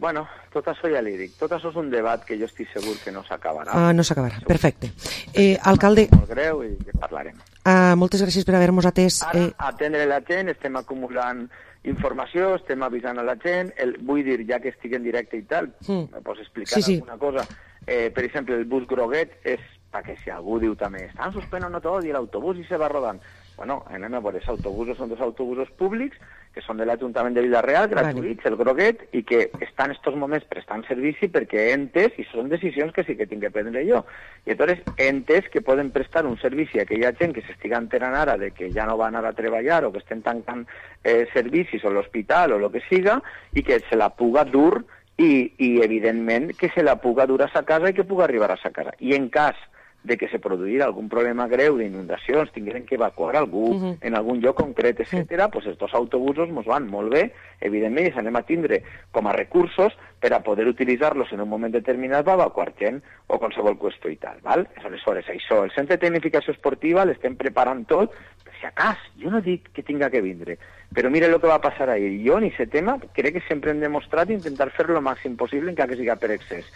S7: Bueno, tot això ja li dic. Tot això és un debat que jo estic segur que no s'acabarà.
S4: Ah, no s'acabarà, perfecte. Eh, alcalde...
S7: Molt greu i que parlarem.
S4: Ah, moltes gràcies per haver-nos atès.
S7: Ara, eh... atendre la gent, estem acumulant informació, estem avisant a la gent, el, vull dir, ja que estic en directe i tal, mm. me pots explicar sí, alguna sí. cosa. Eh, per exemple, el bus groguet és, perquè si algú diu també, estan suspendent tot i l'autobús i se va rodant. Bueno, anem a veure, els autobusos són dos autobusos públics que són de l'Ajuntament de Vila-real, gratuïts, vale. El groguet, i que estan en estos moments prestant servici perquè he entès, i són decisions que sí que tinc que prendre jo, i llavors he entès que poden prestar un servici a aquella gent que s'estiga enterant ara de que ja no van anar a treballar o que estem tancant eh, servicis o l'hospital o el que siga, i que se la puga dur i, i evidentment que se la puga dur a sa casa i que puga arribar a sa casa. I en cas de que se produïra algun problema greu d'inundacions, tingueren que evacuar algú uh-huh. en algun lloc concret, etcètera, uh-huh. pues estos autobusos ens van molt bé, evidentment, i s'anem a tindre com a recursos per a poder utilitzar-los en un moment determinat per evacuar gent o qualsevol qüestió i tal, val? Aleshores, això, el centre de tecnificació esportiva l'estem preparant tot, per si acas, jo no dic que tinga que vindre, però mira el que va passar ahir. Jo, en aquest tema, crec que sempre hem demostrat intentar fer-lo el màxim possible, encara que siga per excés.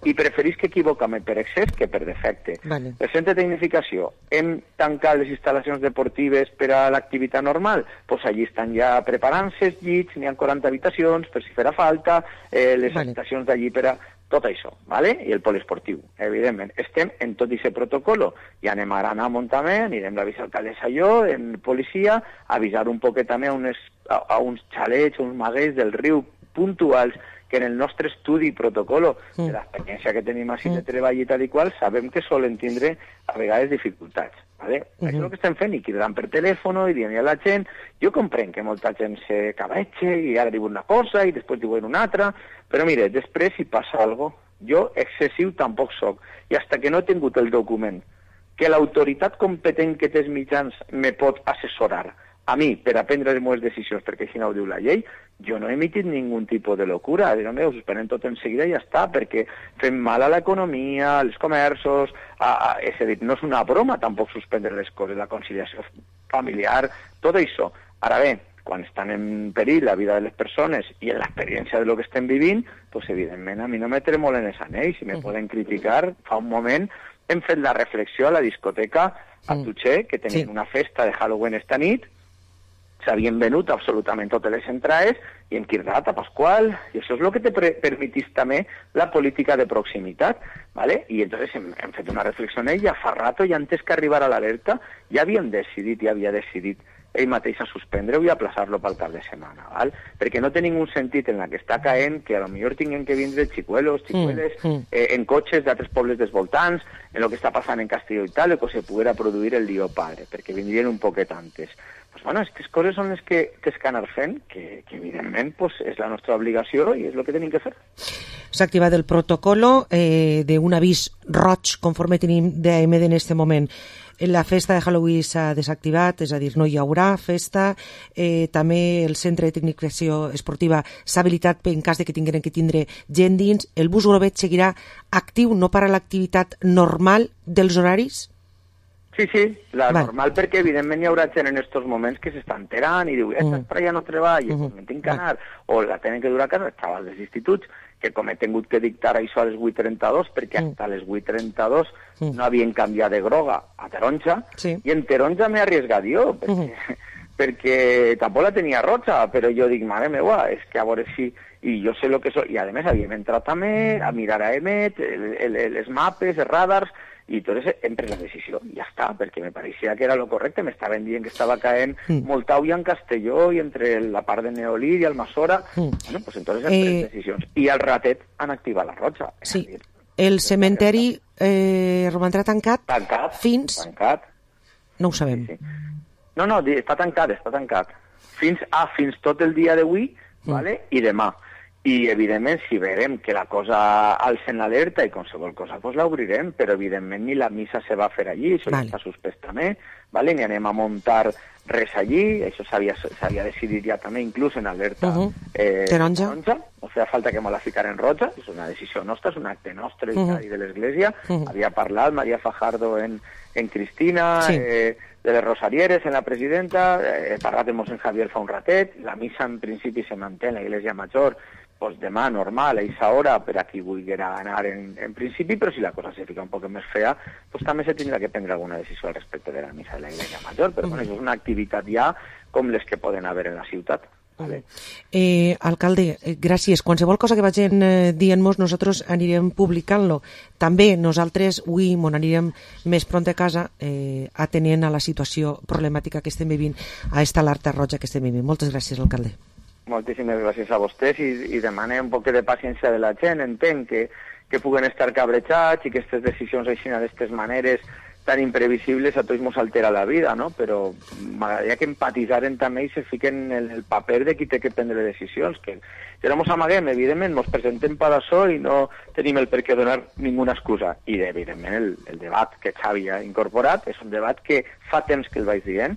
S7: I preferís que equivocar-me per excés que per defecte.
S4: Vale.
S7: El centre de tecnificació, hem tancat les instal·lacions deportives per a l'activitat normal? Doncs pues allí estan ja preparant-se els llits, n'hi ha quaranta habitacions, per si farà falta, eh, les vale. habitacions d'allí per a... Tot això, ¿vale? I el poliesportiu, evidentment. Estem en tot aquest protocolo. I anem ara a anar a Montament, anirem a avisar alcaldessa i jo, en policia, a avisar un poquet també a, unes, a, a uns xalets, uns maguets del riu puntuals, que en el nostre estudi i protocolo mm. de l'experiència que tenim així mm. de treball i tal i qual, sabem que solen tindre a vegades dificultats. ¿Vale? Mm-hmm. Això és el que estem fent, i cridant per telèfon i dient a la gent. Jo comprenc que molta gent se cabeche i ara diuen una cosa i després diuen una altra, però mire, després si passa alguna cosa, jo excessiu tampoc soc, i hasta que no he tingut el document que l'autoritat competent que té els mitjans me pot assessorar a mi per a prendre les meves decisions, perquè així no ho diu la llei, jo no he emitit ningun tipus de locura. Diuen, ho suspenen tot en seguida i ja està, perquè fem mal a l'economia, als comerços, a, a, és a dir, no és una broma tampoc suspendre les coses, la conciliació familiar, tot això. Ara bé, quan estan en perill la vida de les persones i en l'experiència de lo que estem vivint, doncs evidentment a mi no me tremolen els anells, i me poden criticar. Fa un moment hem fet la reflexió a la discoteca a Tutxer, que tenien sí. una festa de Halloween esta nit, s'havien venut absolutament totes les entrades i hem cridat a Pasqual, i això és el que te permetís també la política de proximitat, ¿vale? I entonces hem, hem fet una reflexió en ell, ja fa rato, ja antes que arribar a l'alerta, ja havíem decidit, ja havia decidit ell mateix a suspendre-ho i a plaçar-lo pel cap de setmana, ¿val? Perquè no té ningú sentit en la que està caent que a lo millor tinguem que vindre xicuelos, xicueles, mm, mm. Eh, en cotxes d'altres pobles dels voltants, en el que està passant en Castelló i tal, o que se poguera produir el dia padre, perquè vindrien un poquet antes. Pues bueno, aquestes coses són les que tens que anar fent, que, que evidentment pues, és la nostra obligació i és el que tenim que fer.
S4: S'ha activat el protocolo eh, d'un avís roig conforme tenim d'A M D en aquest moment. La festa de Halloween s'ha desactivat, és a dir, no hi haurà festa. Eh, també el centre de tecnificació esportiva s'ha habilitat en cas de que tingueren que tindre gent dins. El bus Globet seguirà actiu, no para l'activitat normal dels horaris?
S7: Sí, sí, la
S4: vale.
S7: normal, perquè evidentment hi haurà gent en aquests moments que s'està enterant i diu, esta mm. ja no treballa, uh -huh. me tinc que anar, vale. o la tenen que dur a casa, els xavals dels instituts, que com he tingut que dictar això a les vuit trenta-dos, perquè mm. hasta les vuit trenta-dos mm. no havien canviat de groga a taronja, sí. i en taronja m'he arriesgat jo, perquè, mm -hmm. perquè tampoc la tenia roja, però jo dic, mare meva, és que a veure si... I jo sé el que soc, i a més havíem entrat també a mirar a Emet, el, el, el, els mapes, els radars, i entonces hem pres la decisió, i ja està, perquè me pareixia que era lo correcte, m'estaven dient que estava caent mm. molta ulla en Castelló i entre la part de Neolí i Almassora, mm. bueno, pues entonces hem pres eh... decisions. I al ratet han activat la roja.
S4: Sí, dir, el cementeri eh, romandrà tancat,
S7: tancat
S4: fins...
S7: Tancat.
S4: No ho sabem.
S7: Sí, sí. No, no, està tancat, està tancat. Fins a, fins tot el dia d'avui, mm. vale? I demà. I, evidentment, si veurem que la cosa alça en l'alerta i qualsevol cosa, doncs l'obrirem, però, evidentment, ni la missa se va fer allí, això vale. ja està suspès també, vale? Ni anem a muntar res allí, això s'havia decidit ja també, inclús en alerta uh -huh. eh,
S4: taronja.
S7: taronja, no feia falta que me la ficar en roja, és una decisió nostra, és un acte nostre uh -huh. i de l'Església, uh -huh. havia parlat Maria Fajardo en, en Cristina, sí. eh, de les Rosarieres, en la presidenta, he parlat amb Mossèn Javier fa un ratet, la missa en principi se manté en la Iglesia Major, pues demà normal, a aquesta hora, per a qui vulguera anar en, en principi, però si la cosa se fica un poc més fea, pues també se tindrà que prendre alguna decisió al respecte de la missa de la Iglesia Major, però bueno, això és una activitat ja com les que poden haver en la ciutat. Vale.
S4: Eh, alcalde, eh, gràcies. Qualsevol cosa que vagin eh, dient-nos, nosaltres anirem publicant-lo. També nosaltres avui mon anirem més pront a casa eh, atenent a la situació problemàtica que estem vivint, a esta alerta roja que estem vivint. Moltes gràcies, alcalde.
S7: Moltíssimes gràcies a vostès i, i demanem un poc de paciència de la gent. Entenc que, que puguen estar cabrejats i que aquestes decisions així d'aquestes maneres tan imprevisibles a tots ens altera la vida, no? Però m'agradaria que empatitzaren també i se fiquen en el paper de qui té que prendre decisions, que si no ens amaguem, evidentment, ens presentem per això i no tenim el per què donar ninguna excusa. I, evidentment, el, el debat que Xavi ha incorporat és un debat que fa temps que el vaig dient,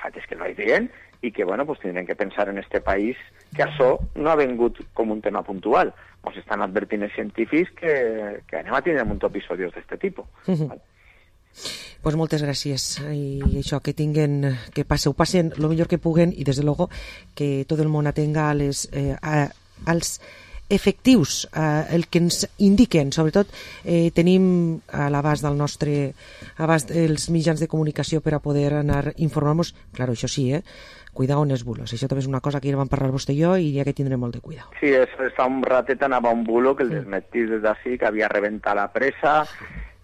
S7: fa temps que el vaig dient, i que, bueno, pues tindrem que pensar en este país que això no ha vengut com un tema puntual. Ens estan advertint els científics que, que anem a tindre un munt d'episodis d'aquest tipus. Uh-huh. Vale.
S4: Pues moltes gràcies i això, que tinguen, que passeu, passen el millor que puguen i des de luego que tot el món atenga a les, eh, a, als efectius, eh, el que ens indiquen, sobretot eh, tenim a l'abast del nostre abast els mitjans de comunicació per a poder anar informant-nos, clar, això sí, eh, cuidao en els bulos, això també és una cosa que ja vam parlar vostè i jo i ja que tindrem molt de cuidao.
S7: Sí, es, fa un ratet anava un bulo que el desmentís des d'ací, que havia rebentat la pressa,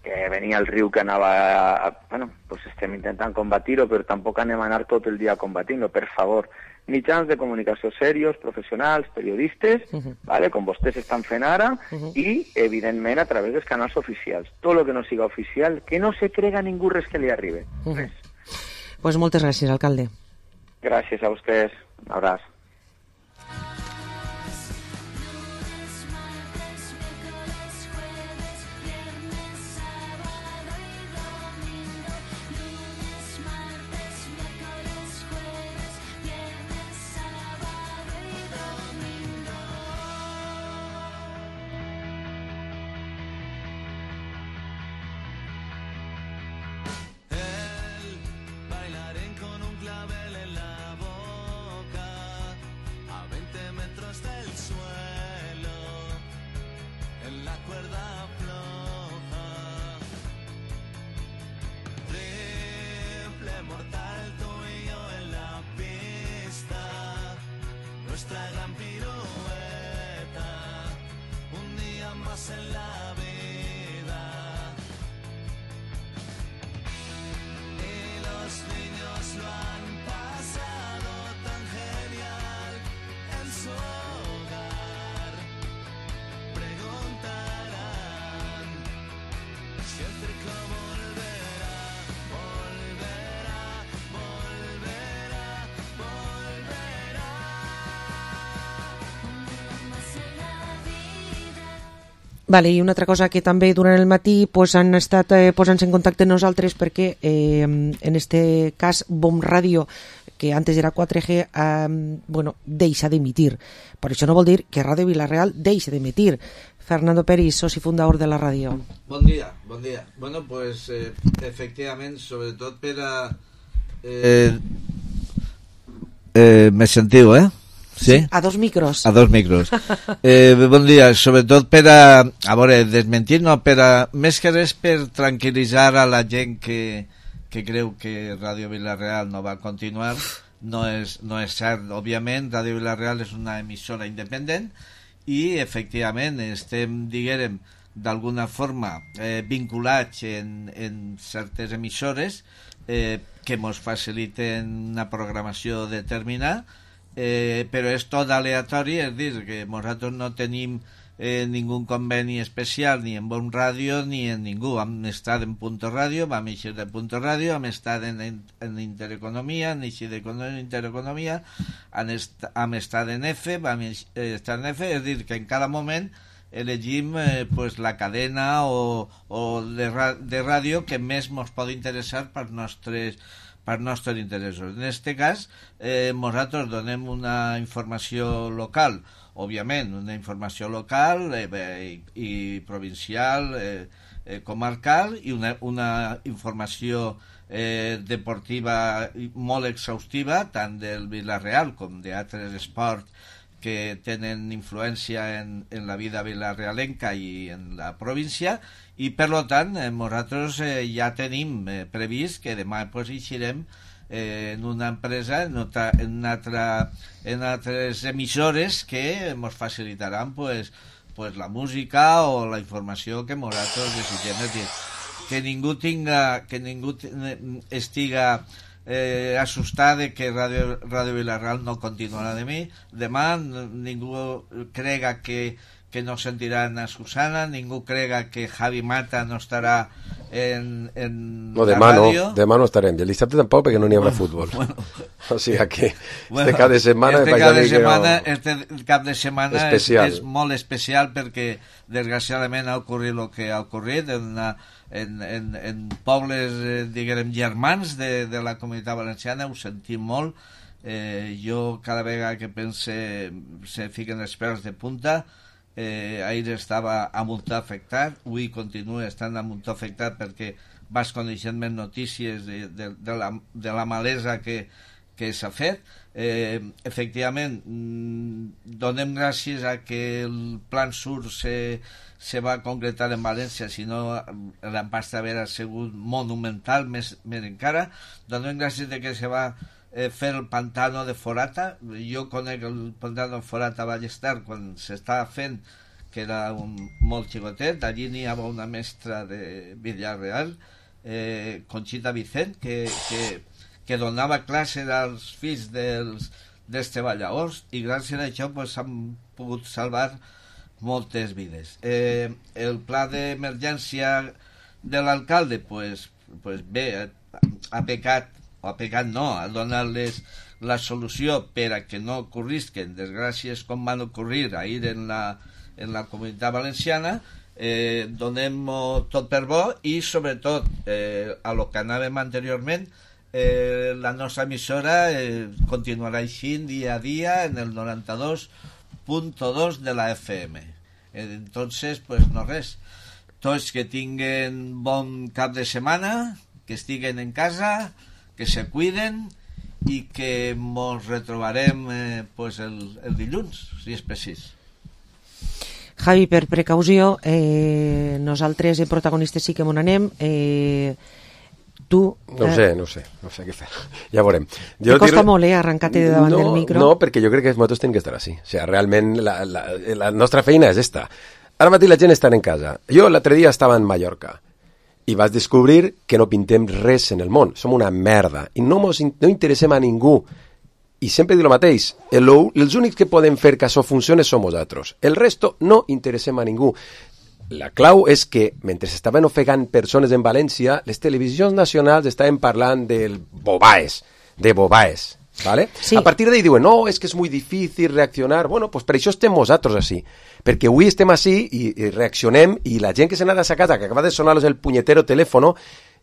S7: que venia el riu que anava... Bueno, pues estem intentant combatir-ho, però tampoc anem a anar tot el dia combatint-ho, per favor. Mitjans de comunicació serios, professionals, periodistes, uh-huh. vale, com vostès estan fent ara, uh-huh. i, evidentment, a través dels canals oficials. Tot el que no siga oficial, que no se crega ningú res que li arribi. Uh-huh. Res.
S4: Pues moltes gràcies, alcalde.
S7: Gràcies a vostès. Un abraç.
S4: Vale, i una altra cosa que també durant el matí pues, han estat eh, posant-se en contacte amb nosaltres perquè eh, en este cas Bom Ràdio, que antes era quatre G, eh, bueno, deixa d'emitir. Per això no vol dir que Ràdio Vila-real deixa d'emitir. Fernando Peris, soci fundador de la ràdio.
S8: Bon dia, bon dia. Bueno, pues eh, efectivament, sobretot per a... Eh, eh, me sentiu, eh? Sí?
S4: Sí, a dos micros.
S8: A dos micros. Eh, bon dia, sobretot per a, a veure, desmentir, no, per a, més que res per tranquil·litzar a la gent que, que creu que Ràdio Vila-real no va continuar. No és, no és cert, òbviament, Ràdio Vila-real és una emissora independent i, efectivament, estem, diguem, d'alguna forma eh, vinculats en, en certes emissores eh, que ens faciliten una programació determinada. Eh, però és tot aleatori, és dir, que nosaltres no tenim eh, ningú conveni especial ni en Bon Ràdio ni en ningú. Hem estat en Punto Ràdio, vam eixir de Punto Ràdio, hem estat en, en, en Intereconomia, hem eixit d'Intereconomia, hem, est hem estat en F, vam estar en F, és dir, que en cada moment elegim eh, pues, la cadena o, o de, de ràdio que més ens pot interessar per nostres per nostres interessos. En aquest cas, eh, nosaltres donem una informació local, òbviament, una informació local eh, i, i provincial, eh, eh, comarcal, i una, una informació eh, deportiva molt exhaustiva, tant del Vila-real com d'altres esports que tenen influència en, en la vida vilarealenca i en la província, i per tant eh, nosaltres eh, ja tenim eh, previst que demà pues, eixirem eh, en una empresa, en, otra, en, una altra, en altres emissores que ens facilitaran pues, pues la música o la informació que nosaltres desitgem. És dir, que ningú tinga, que ningú estiga eh, assustat de que Radio, Radio Vilarreal no continuarà de mi. Demà ningú crega que, que no sentiran a Susana, ningú crega que Javi Mata no estarà en, en
S6: no,
S8: la
S6: demà
S8: ràdio.
S6: No, demà no estarem, i el dissabte tampoc perquè no n'hi haurà
S8: bueno,
S6: futbol.
S8: Bueno,
S6: o sigui que
S8: bueno,
S6: este cap de setmana
S8: este cap de setmana,
S6: no...
S8: este cap de setmana és, és molt especial perquè desgraciadament ha ocorrit el que ha ocorrit en, una, en, en, en pobles, eh, diguem, germans de, de la Comunitat Valenciana. Ho sentim molt. Eh, jo cada vegada que pense se fiquen els pèls de punta. Eh, ahir estava a Montà afectat, avui continua estant a Montà afectat perquè vas coneixent més notícies de, de, de, la, de la malesa que, que s'ha fet. Eh, efectivament, donem gràcies a que el Plan Sur se, se va concretar en València, si no l'impacte haver sigut monumental, més, més encara. Donem gràcies de que se va eh, fer el pantano de Forata. Jo conec el pantano de Forata a Ballester quan s'estava fent, que era un, molt xicotet. Allí n'hi havia una mestra de Villarreal, eh, Conxita Vicent, que, que, que donava classe als fills dels, dels treballadors, i gràcies a això pues, s'han pogut salvar moltes vides. Eh, el pla d'emergència de l'alcalde pues, pues bé, ha, ha pecat, o ha pecat no, ha donat-les la solució per a que no ocorrisquen desgràcies com van ocorrir ahir en la, en la Comunitat Valenciana. Eh, donem tot per bo i sobretot eh, a lo que anàvem anteriorment, eh, la nostra emissora eh, continuarà així dia a dia en el noranta-dos punt dos de la F M. Eh, entonces, pues no res, tots que tinguen bon cap de setmana, que estiguen en casa, que se cuiden i que mos retrobarem eh, pues el, el dilluns, si és precís.
S4: Javi, per precaució, eh, nosaltres, eh, protagonistes, sí que m'on anem. Eh, tu...
S6: No ho
S4: eh,
S6: sé, no ho sé, no sé què fer. Ja veurem.
S4: Jo Te costa dir... molt, eh, arrencar-te de davant
S6: no,
S4: del micro.
S6: No, perquè jo crec que els motos tenen que estar així. O sigui, realment la, la, la nostra feina és esta. Ara mateix la gent està en casa. Jo l'altre dia estava en Mallorca i vas descobrir que no pintem res en el món. Som una merda i no, mos, no interessem a ningú. I sempre dic el mateix, el, els únics que poden fer que això funcione som nosaltres. El resto no interessem a ningú. La clau és que, mentre estaven ofegant persones en València, les televisions nacionals estaven parlant del bobaes, de bobaes, ¿vale? Sí. A partir d'ahí diuen, no, és que és molt difícil reaccionar. Bueno, pues per això estem nosaltres així. Perquè avui estem així i, i reaccionem i la gent que s'ha anat a sa casa, que acaba de sonar-los el punyetero telèfono,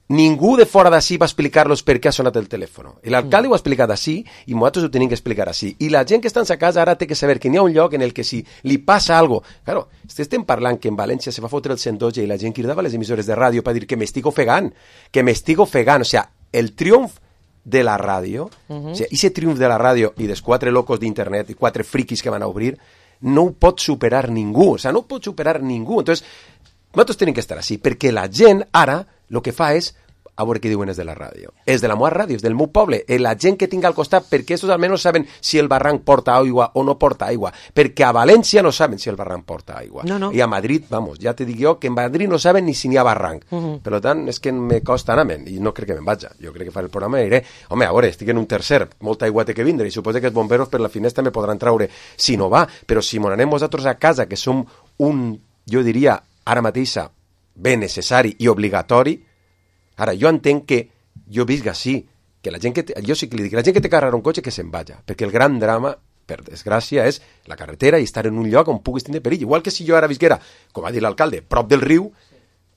S6: ningú de fora d'ací va explicar-los per què ha sonat el telèfon. L'alcalde mm. ho ha explicat així i nosaltres ho tenim que explicar així. I la gent que està en sa casa ara té que saber que n'hi ha un lloc en el que si li passa algo... Claro, estem parlant que en València se va fotre el cent dotze i la gent cridava a les emissores de ràdio per dir que m'estic ofegant, que m'estic ofegant. O sigui, el triomf de la ràdio, mm-hmm. o sigui, ese triomf de la ràdio i dels quatre locos d'internet i quatre friquis que van a obrir, no ho pot superar ningú. O sigui, no ho pot superar ningú. Entonces, nosaltres tenim que estar així, perquè la gent ara el que fa és, a veure què diuen és de la ràdio. És de la meva ràdio, és del meu poble. Eh, la gent que tinc al costat, perquè estos almenys saben si el barranc porta aigua o no porta aigua. Perquè a València no saben si el barranc porta aigua.
S4: No, no.
S6: I a Madrid, vamos, ja te dic jo que en Madrid no saben ni si n'hi ha barranc. Uh-huh. Per tant, és que me costa anar-me'n i no crec que me'n vaja. Jo crec que faré el programa i diré, home, a veure, estic en un tercer, molta aigua té que vindre i suposo que els bomberos per la finestra me podran traure si no va. Però si m'on anem nosaltres a casa, que som un, jo diria, ara mateixa, bé necessari i obligatori. Ara, jo entenc que jo visc així, que la gent que... Te, jo sí que li dic, la gent que té que arreglar un cotxe que se'n vaja, perquè el gran drama, per desgràcia, és la carretera i estar en un lloc on puguis tenir perill. Igual que si jo ara visquera, com ha dit l'alcalde, prop del riu,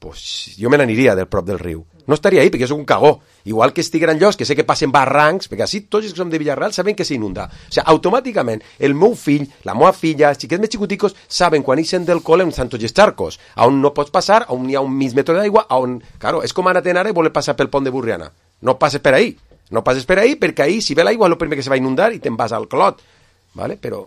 S6: pues jo me n'aniria del prop del riu. No estaria ahí, perquè jo soc un cagó. Igual que estiguera en llocs que sé que passen barrancs, perquè així tots els que som de Villarreal saben que s'inunda. O sigui, automàticament, el meu fill, la meva filla, els xiquets més xicoticos, saben quan ixen del col·le en Santos Gestarcos, on no pots passar, on hi ha un mig metre d'aigua, on... Claro, és com anar-te'n ara i voler passar pel pont de Burriana. No passes per ahí. No passes per ahí, perquè ahí, si ve l'aigua, és el primer que se va inundar i te'n vas al clot. ¿Vale? Però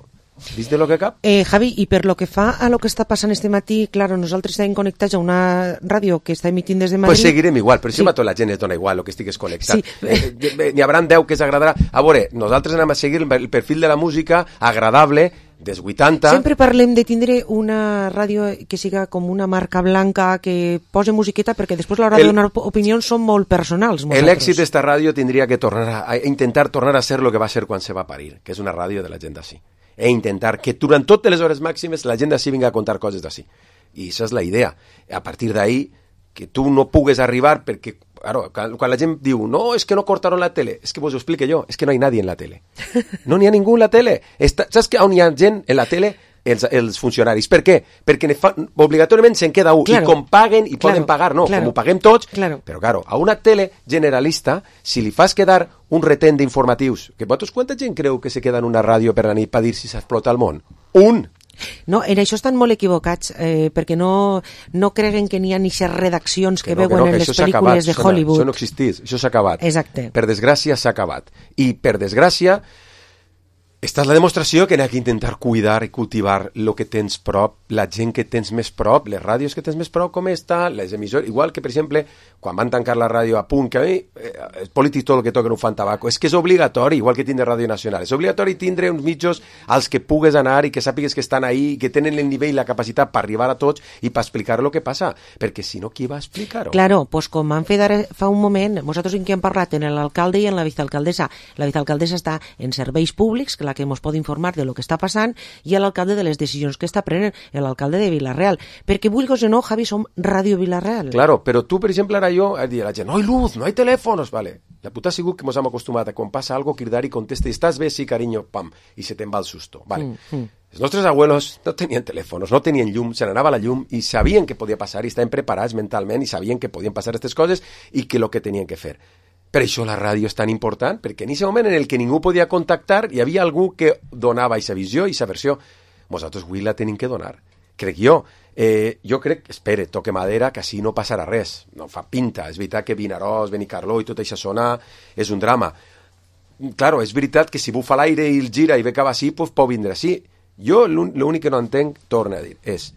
S6: ¿Viste lo que cap?
S4: Eh, Javi, i per lo que fa a lo que està passant este matí, claro, nosaltres estem connectats a una ràdio que està emitint des de Madrid.
S6: Pues seguirem igual, però sí. Si a tota la gent es dona igual el que estigues connectat. Sí. Eh, eh, n'hi haurà deu que s'agradarà. A veure, nosaltres anem a seguir el perfil de la música agradable des vuitanta.
S4: Sempre parlem de tindre una ràdio que siga com una marca blanca, que pose musiqueta, perquè després a l'hora de donar opinions són molt personals.
S6: L'èxit d'esta ràdio tindria que tornar a, a intentar tornar a ser lo que va ser quan se va parir, que és una ràdio de la gent d'ací. E intentar que durant totes les hores màximes la gent d'ací vinga a contar coses d'ací. I això és la idea. A partir d'ahí, que tu no pugues arribar perquè, claro, quan la gent diu no, és que no cortaron la tele, és que vos ho explique jo, és que no hi ha nadie en la tele. No n'hi ha ningú en la tele. Està, saps que on hi ha gent en la tele? Els, els funcionaris. Per què? Perquè ne fa, obligatoriament se'n queda un. Claro. I com paguen, i claro. Poden pagar, no, claro. Com ho paguem tots.
S4: Claro.
S6: Però, claro, a una tele generalista, si li fas quedar un retent d'informatius, que vosaltres quanta gent creu que se queda en una ràdio per la nit per dir si s'explota el món? Un!
S4: No, en això estan molt equivocats, eh, perquè no, no creguen que n'hi ha aquestes redaccions que, que no, veuen que no, que en les pel·lícules de Hollywood.
S6: Això no existís, això s'ha acabat.
S4: Exacte.
S6: Per desgràcia s'ha acabat. I per desgràcia, esta és la demostració que n'hi ha que intentar cuidar i cultivar el que tens prop, la gent que tens més prop, les ràdios que tens més prop, com està, les emissores, igual que, per exemple, quan van tancar la ràdio a punt, que a mi, eh, els polítics tot el que toquen ho fan tabaco, és que és obligatori, igual que tindre Ràdio Nacional, és obligatori tindre uns mitjos als que pugues anar i que sàpigues que estan ahí, que tenen el nivell i la capacitat per arribar a tots i per explicar el que passa, perquè si no, qui va explicar-ho?
S4: Claro, pues com han fet ara fa un moment, nosaltres en què hem parlat, en l'alcalde i en la vicealcaldessa. La vicealcaldessa està en serveis públics, que la que ens pot informar de lo que està passant, i l'alcalde de les decisions que està prenent, l'alcalde de Vila-real. Perquè vulguis o no, Javi, som Ràdio Vila-real.
S6: Claro, però tu, per exemple, ara jo, a dir a la gent, no hay luz, no hay teléfonos, vale. La puta ha sigut que ens hem acostumat a quan passa algo, cridar i contesta, estàs bé, sí, cariño, pam, i se te'n va el susto, vale. Mm, mm. Els nostres abuelos no tenien telèfons, no tenien llum, se n'anava la llum i sabien que podia passar i estaven preparats mentalment i sabien que podien passar aquestes coses i que el que tenien que fer. Per això la ràdio és tan important, perquè en aquest moment en el que ningú podia contactar hi havia algú que donava aquesta visió i aquesta versió. Nosaltres avui la tenim que donar. Crec jo. Eh, jo crec, espere, toque madera, que així no passarà res. No fa pinta. És veritat que Vinaròs, Benicarló i tota aquesta zona és un drama. Claro, és veritat que si bufa l'aire i el gira i ve cap així, pues pot vindre així. Jo l'únic que no entenc, torna a dir, és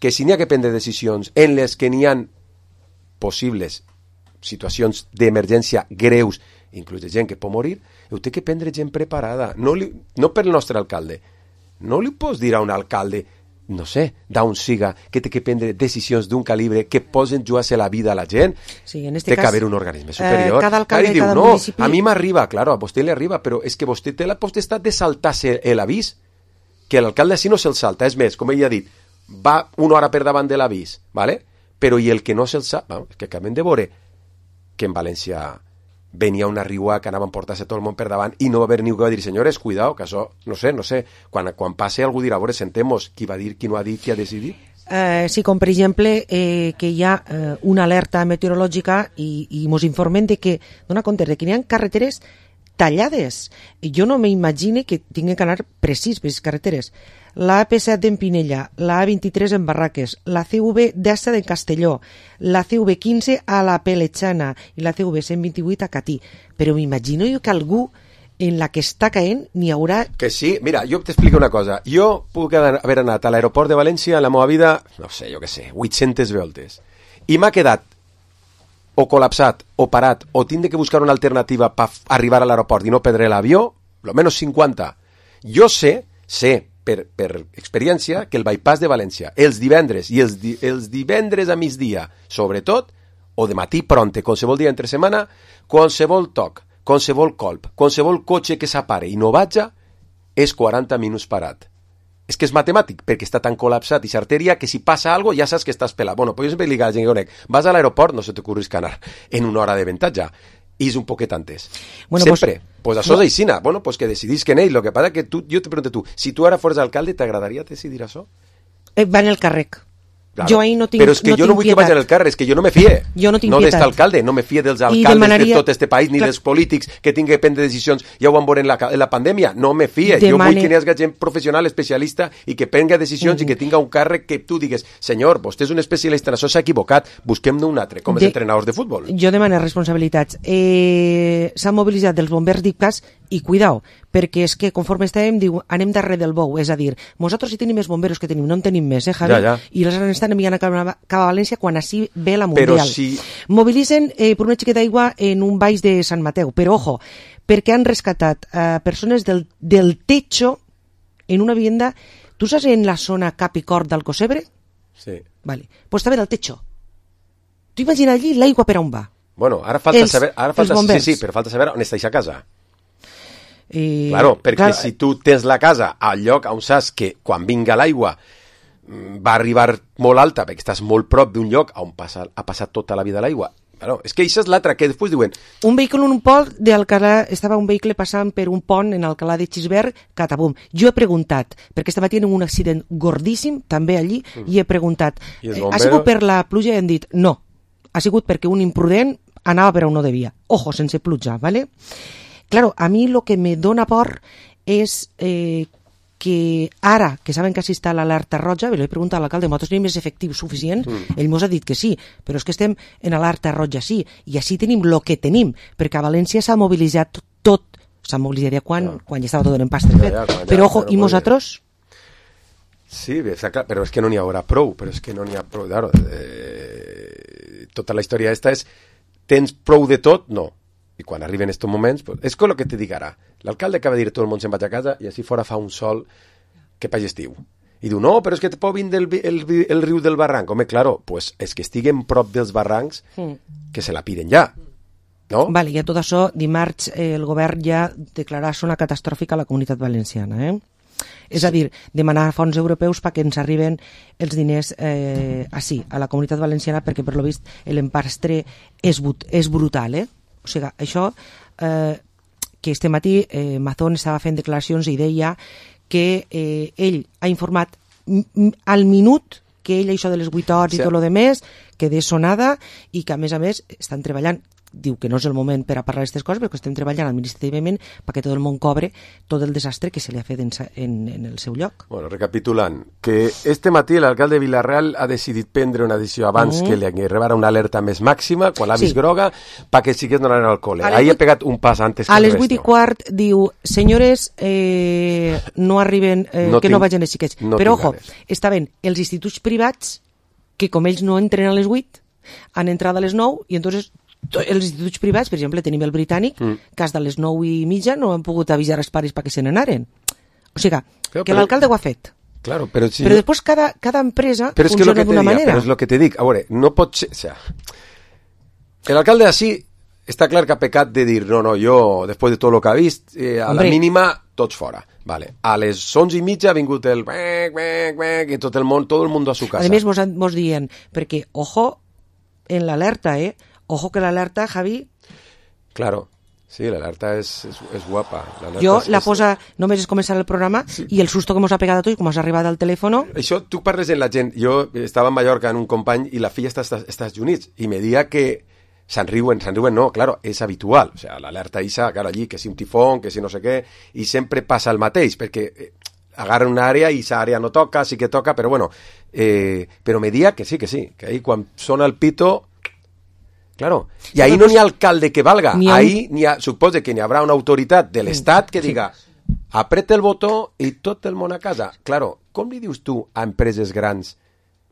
S6: que si n'hi ha que prendre decisions en les que n'hi ha possibles situacions d'emergència greus, inclús de gent que pot morir, heu té que prendre gent preparada. No, li, no per el nostre alcalde. No li pots dir a un alcalde, no sé, d'on siga, que té que prendre decisions d'un calibre que posen jugar-se la vida a la gent.
S4: Sí, en este
S6: té
S4: cas,
S6: que haver un organisme superior.
S4: Eh, cada alcalde,
S6: diu,
S4: cada
S6: no,
S4: municipi...
S6: a mi m'arriba, claro, a vostè li arriba, però és que vostè té la potestat de saltar-se l'avís, que l'alcalde així no se'l salta. És més, com ell ha dit, va una hora per davant de l'avís, ¿vale? Però i el que no se'l salta, no, que acabem de veure que en València venia una riua que anaven a portar-se tot el món per davant i no va haver ningú que va dir, senyores, cuidao, que això, no sé, no sé, quan, quan passe algú dirà, a veure, sentemos qui va dir, qui no ha dit, qui ha decidit.
S4: Eh, sí, com per exemple eh, que hi ha eh, una alerta meteorològica i, i mos informen de que, dona compte, de que hi ha carreteres tallades. Jo no m'imagine que tinguin que anar precís per les carreteres. La A P set d'en Pinella, la A vint-i-tres en Barraques, la C V d'Assa de Castelló, la C V quinze a la Peletxana i la C V cent vint-i-vuit a Catí. Però m'imagino jo que algú en la que està caent n'hi haurà...
S6: Que sí, mira, jo t'explico una cosa. Jo puc haver anat a l'aeroport de València en la meva vida, no sé, jo què sé, vuit-centes voltes. I m'ha quedat o col·lapsat, o parat, o tindre que buscar una alternativa per arribar a l'aeroport i no perdre l'avió, lo menos cinquanta. Jo sé, sé, per, per experiència, que el bypass de València, els divendres i els, di, els divendres a migdia, sobretot, o de matí pronte, qualsevol dia entre setmana, qualsevol toc, qualsevol colp, qualsevol cotxe que s'apare i no vaja, és quaranta minuts parat. És que és matemàtic, perquè està tan col·lapsat i s'arteria que si passa alguna cosa ja saps que estàs pelat. Bueno, pues jo sempre li dic a la gent que conec, vas a l'aeroport, no se t'ocorris que anar en una hora de ventatge, i és un poquet antes. Bueno, sempre. Pues, pues això és aixina. Bueno, pues que decidís que en ell. Lo que passa que tu, jo te pregunto tu, si tu ara fores alcalde, t'agradaria decidir això?
S4: Eh, va en el càrrec.
S6: Claro.
S4: Jo ahí no tinc,
S6: però és que
S4: no
S6: jo no vull
S4: pietat.
S6: que vagin al carrer, és que jo no me fie.
S4: Jo no tinc
S6: no
S4: pietat.
S6: d'este alcalde, no me fie dels alcaldes demanaria... de tot este país, ni Clar. dels polítics que tinguin que prendre decisions, ja ho van veure en la, en la pandèmia, no me fie. Demane... Jo vull que n'hi hagi gent professional, especialista, i que prengui decisions mm. i que tinga un càrrec que tu digues, senyor, vostè és un especialista en això, s'ha equivocat, busquem-ne un altre, com de... els entrenadors de futbol.
S4: Jo demano responsabilitats. Eh, S'han mobilitzat dels bombers d'Ipcas i cuidao, perquè és que conforme estàvem, diu, anem darrere del bou, és a dir, nosaltres sí tenim més bomberos que tenim, no en tenim més, eh, Javi? Ja, ja. I els estan enviant a cap a València quan així ve la Mundial.
S6: Però si...
S4: Mobilitzen eh, per una xiqueta d'aigua en un baix de Sant Mateu, però ojo, perquè han rescatat eh, persones del, del techo en una vivienda. Tu saps en la zona cap i cor d'Alcocebre?
S6: Sí.
S4: Vale. Pues estava en el techo. Tu imagina allí l'aigua per on va.
S6: Bueno, ara falta
S4: els,
S6: saber... Ara falta, sí, sí, però falta saber on està aquesta casa. Eh, claro, perquè clar, si tu tens la casa al lloc on saps que quan vinga l'aigua va arribar molt alta, perquè estàs molt prop d'un lloc on passa, ha passat tota la vida l'aigua. Bueno, és que això és l'altre, que després diuen...
S4: Un vehicle en un pont d'Alcalà, estava un vehicle passant per un pont en Alcalà de Xisberg, catabum. Jo he preguntat, perquè estava tenint un accident gordíssim, també allí, mm. i he preguntat, eh, ha sigut per la pluja? I hem dit, no, ha sigut perquè un imprudent anava per on no devia. Ojo, sense pluja, ¿vale? Claro, a mi lo que me dona por és eh, que ara, que saben que així està l'alerta roja, li he preguntat a l'alcalde, nosaltres tenim més efectiu suficient? Mm. Ell mos ha dit que sí, però és que estem en alerta roja, sí, i així tenim lo que tenim, perquè a València s'ha mobilitzat tot, s'ha mobilitzat ja quan, ja. quan ja estava tot en pastre fet, ja, ja, ja, però ojo, i nosaltres...
S6: Sí, està clar, però és que no n'hi haurà prou, però és que no n'hi ha prou, claro, eh, tota la història esta és, tens prou de tot? No. I quan arriben estos moments, pues, és com el que te dic ara. L'alcalde acaba de dir tot el món se'n vaig a casa i així fora fa un sol que país estiu. I diu, no, però és que te pot vindre el, el, el, el riu del barranc. Home, claro, pues és que estiguen prop dels barrancs que se la piden ja. No?
S4: Vale, i a tot això, dimarts eh, el govern ja declarà zona catastròfica a la Comunitat Valenciana, eh? És a dir, demanar fons europeus perquè ens arriben els diners eh, així, a la Comunitat Valenciana, perquè per lo vist l'empastre és, és brutal, eh? O sigui, això, eh, que este matí eh, Mazón estava fent declaracions i deia que eh, ell ha informat al minut que ell això de les vuit hores sí. i tot lo de més, que de sonada, i que a més a més estan treballant, diu que no és el moment per a parlar d'aquestes coses, però que estem treballant administrativament perquè tot el món cobre tot el desastre que se li ha fet en, en, en el seu lloc.
S6: Bueno, recapitulant, que este matí l'alcalde de Vilareal ha decidit prendre una decisió abans mm. que li arribara una alerta més màxima, quan l'ha vist sí. groga, perquè sigués no anar al col·le. Ahí ha pegat un pas antes que
S4: a les vuit i quart diu, senyores, eh, no arriben, eh, no que tinc, no vagin els xiquets. No però, ojo, estaven els instituts privats, que com ells no entren a les vuit, han entrat a les nou, i entonces els instituts privats, per exemple, tenim el britànic, mm. que hasta les nou i mitja no han pogut avisar els pares perquè se n'anaren. O sigui, claro, que l'alcalde ho ha fet.
S6: Claro, però si
S4: però després cada, cada empresa però funciona d'una manera.
S6: Però és el que te dic, a veure, no pot ser... O sea, l'alcalde així està clar que ha pecat de dir, no, no, jo, després de tot el que ha vist, eh, a Hombre. la mínima, tots fora. Vale. A les onze i mitja ha vingut el... i tot el món, tot el món a su casa.
S4: A més, mos, mos diuen, perquè, ojo, en l'alerta, eh? Ojo que l'alerta, Javi...
S6: Claro, sí, l'alerta és, és, és guapa.
S4: Jo
S6: és,
S4: la
S6: és...
S4: posa, només és començar el programa, sí. i el susto que mos ha pegat a tots, com has arribat al telèfon...
S6: Això, tu parles en la gent. Jo estava a Mallorca en un company i la filla està als Estats Units, i me dia que se'n riuen, se'n riuen, no, claro, és habitual. O sea, l'alerta isa, claro, allí, que si un tifón, que si no sé què, i sempre passa el mateix, perquè... agarra una àrea i esa àrea no toca, sí que toca, però bueno, eh, però me dia que sí, que sí, que ahí quan sona el pito... Claro, i ahí no n'hi ha alcalde que valga, ha... ahí n'hi ha, suposa que n'hi haurà una autoritat de l'Estat que diga, sí. apreta el botó i tot el món a casa. Claro, com li dius tu a empreses grans?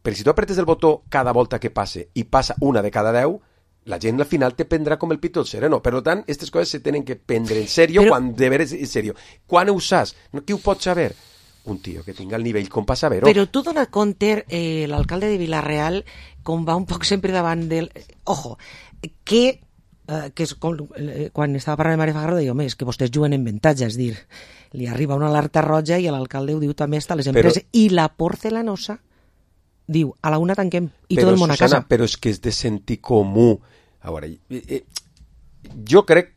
S6: Perquè si tu apretes el botó cada volta que passe i passa una de cada deu, la gent al final te prendrà com el pito el sereno. Per tant, aquestes coses se tenen que prendre en serio però... quan de veres en serio. Quan ho saps? Qui ho pot saber? Un tio que tinga el nivell com per saber-ho.
S4: Però tu dona compte, eh, l'alcalde de Vilareal, com va un poc sempre davant del... Ojo, que, eh, que és com, eh, quan estava parlant de Maria Fagardo, deia, home, és que vostès juguen en avantatge, és dir, li arriba una alerta roja i l'alcalde ho diu també a les empreses. Però... I la porcelanosa diu, a la una tanquem i
S6: però,
S4: tot el món
S6: Susana,
S4: a casa.
S6: Però és que és de sentir comú. A veure, eh, eh, jo crec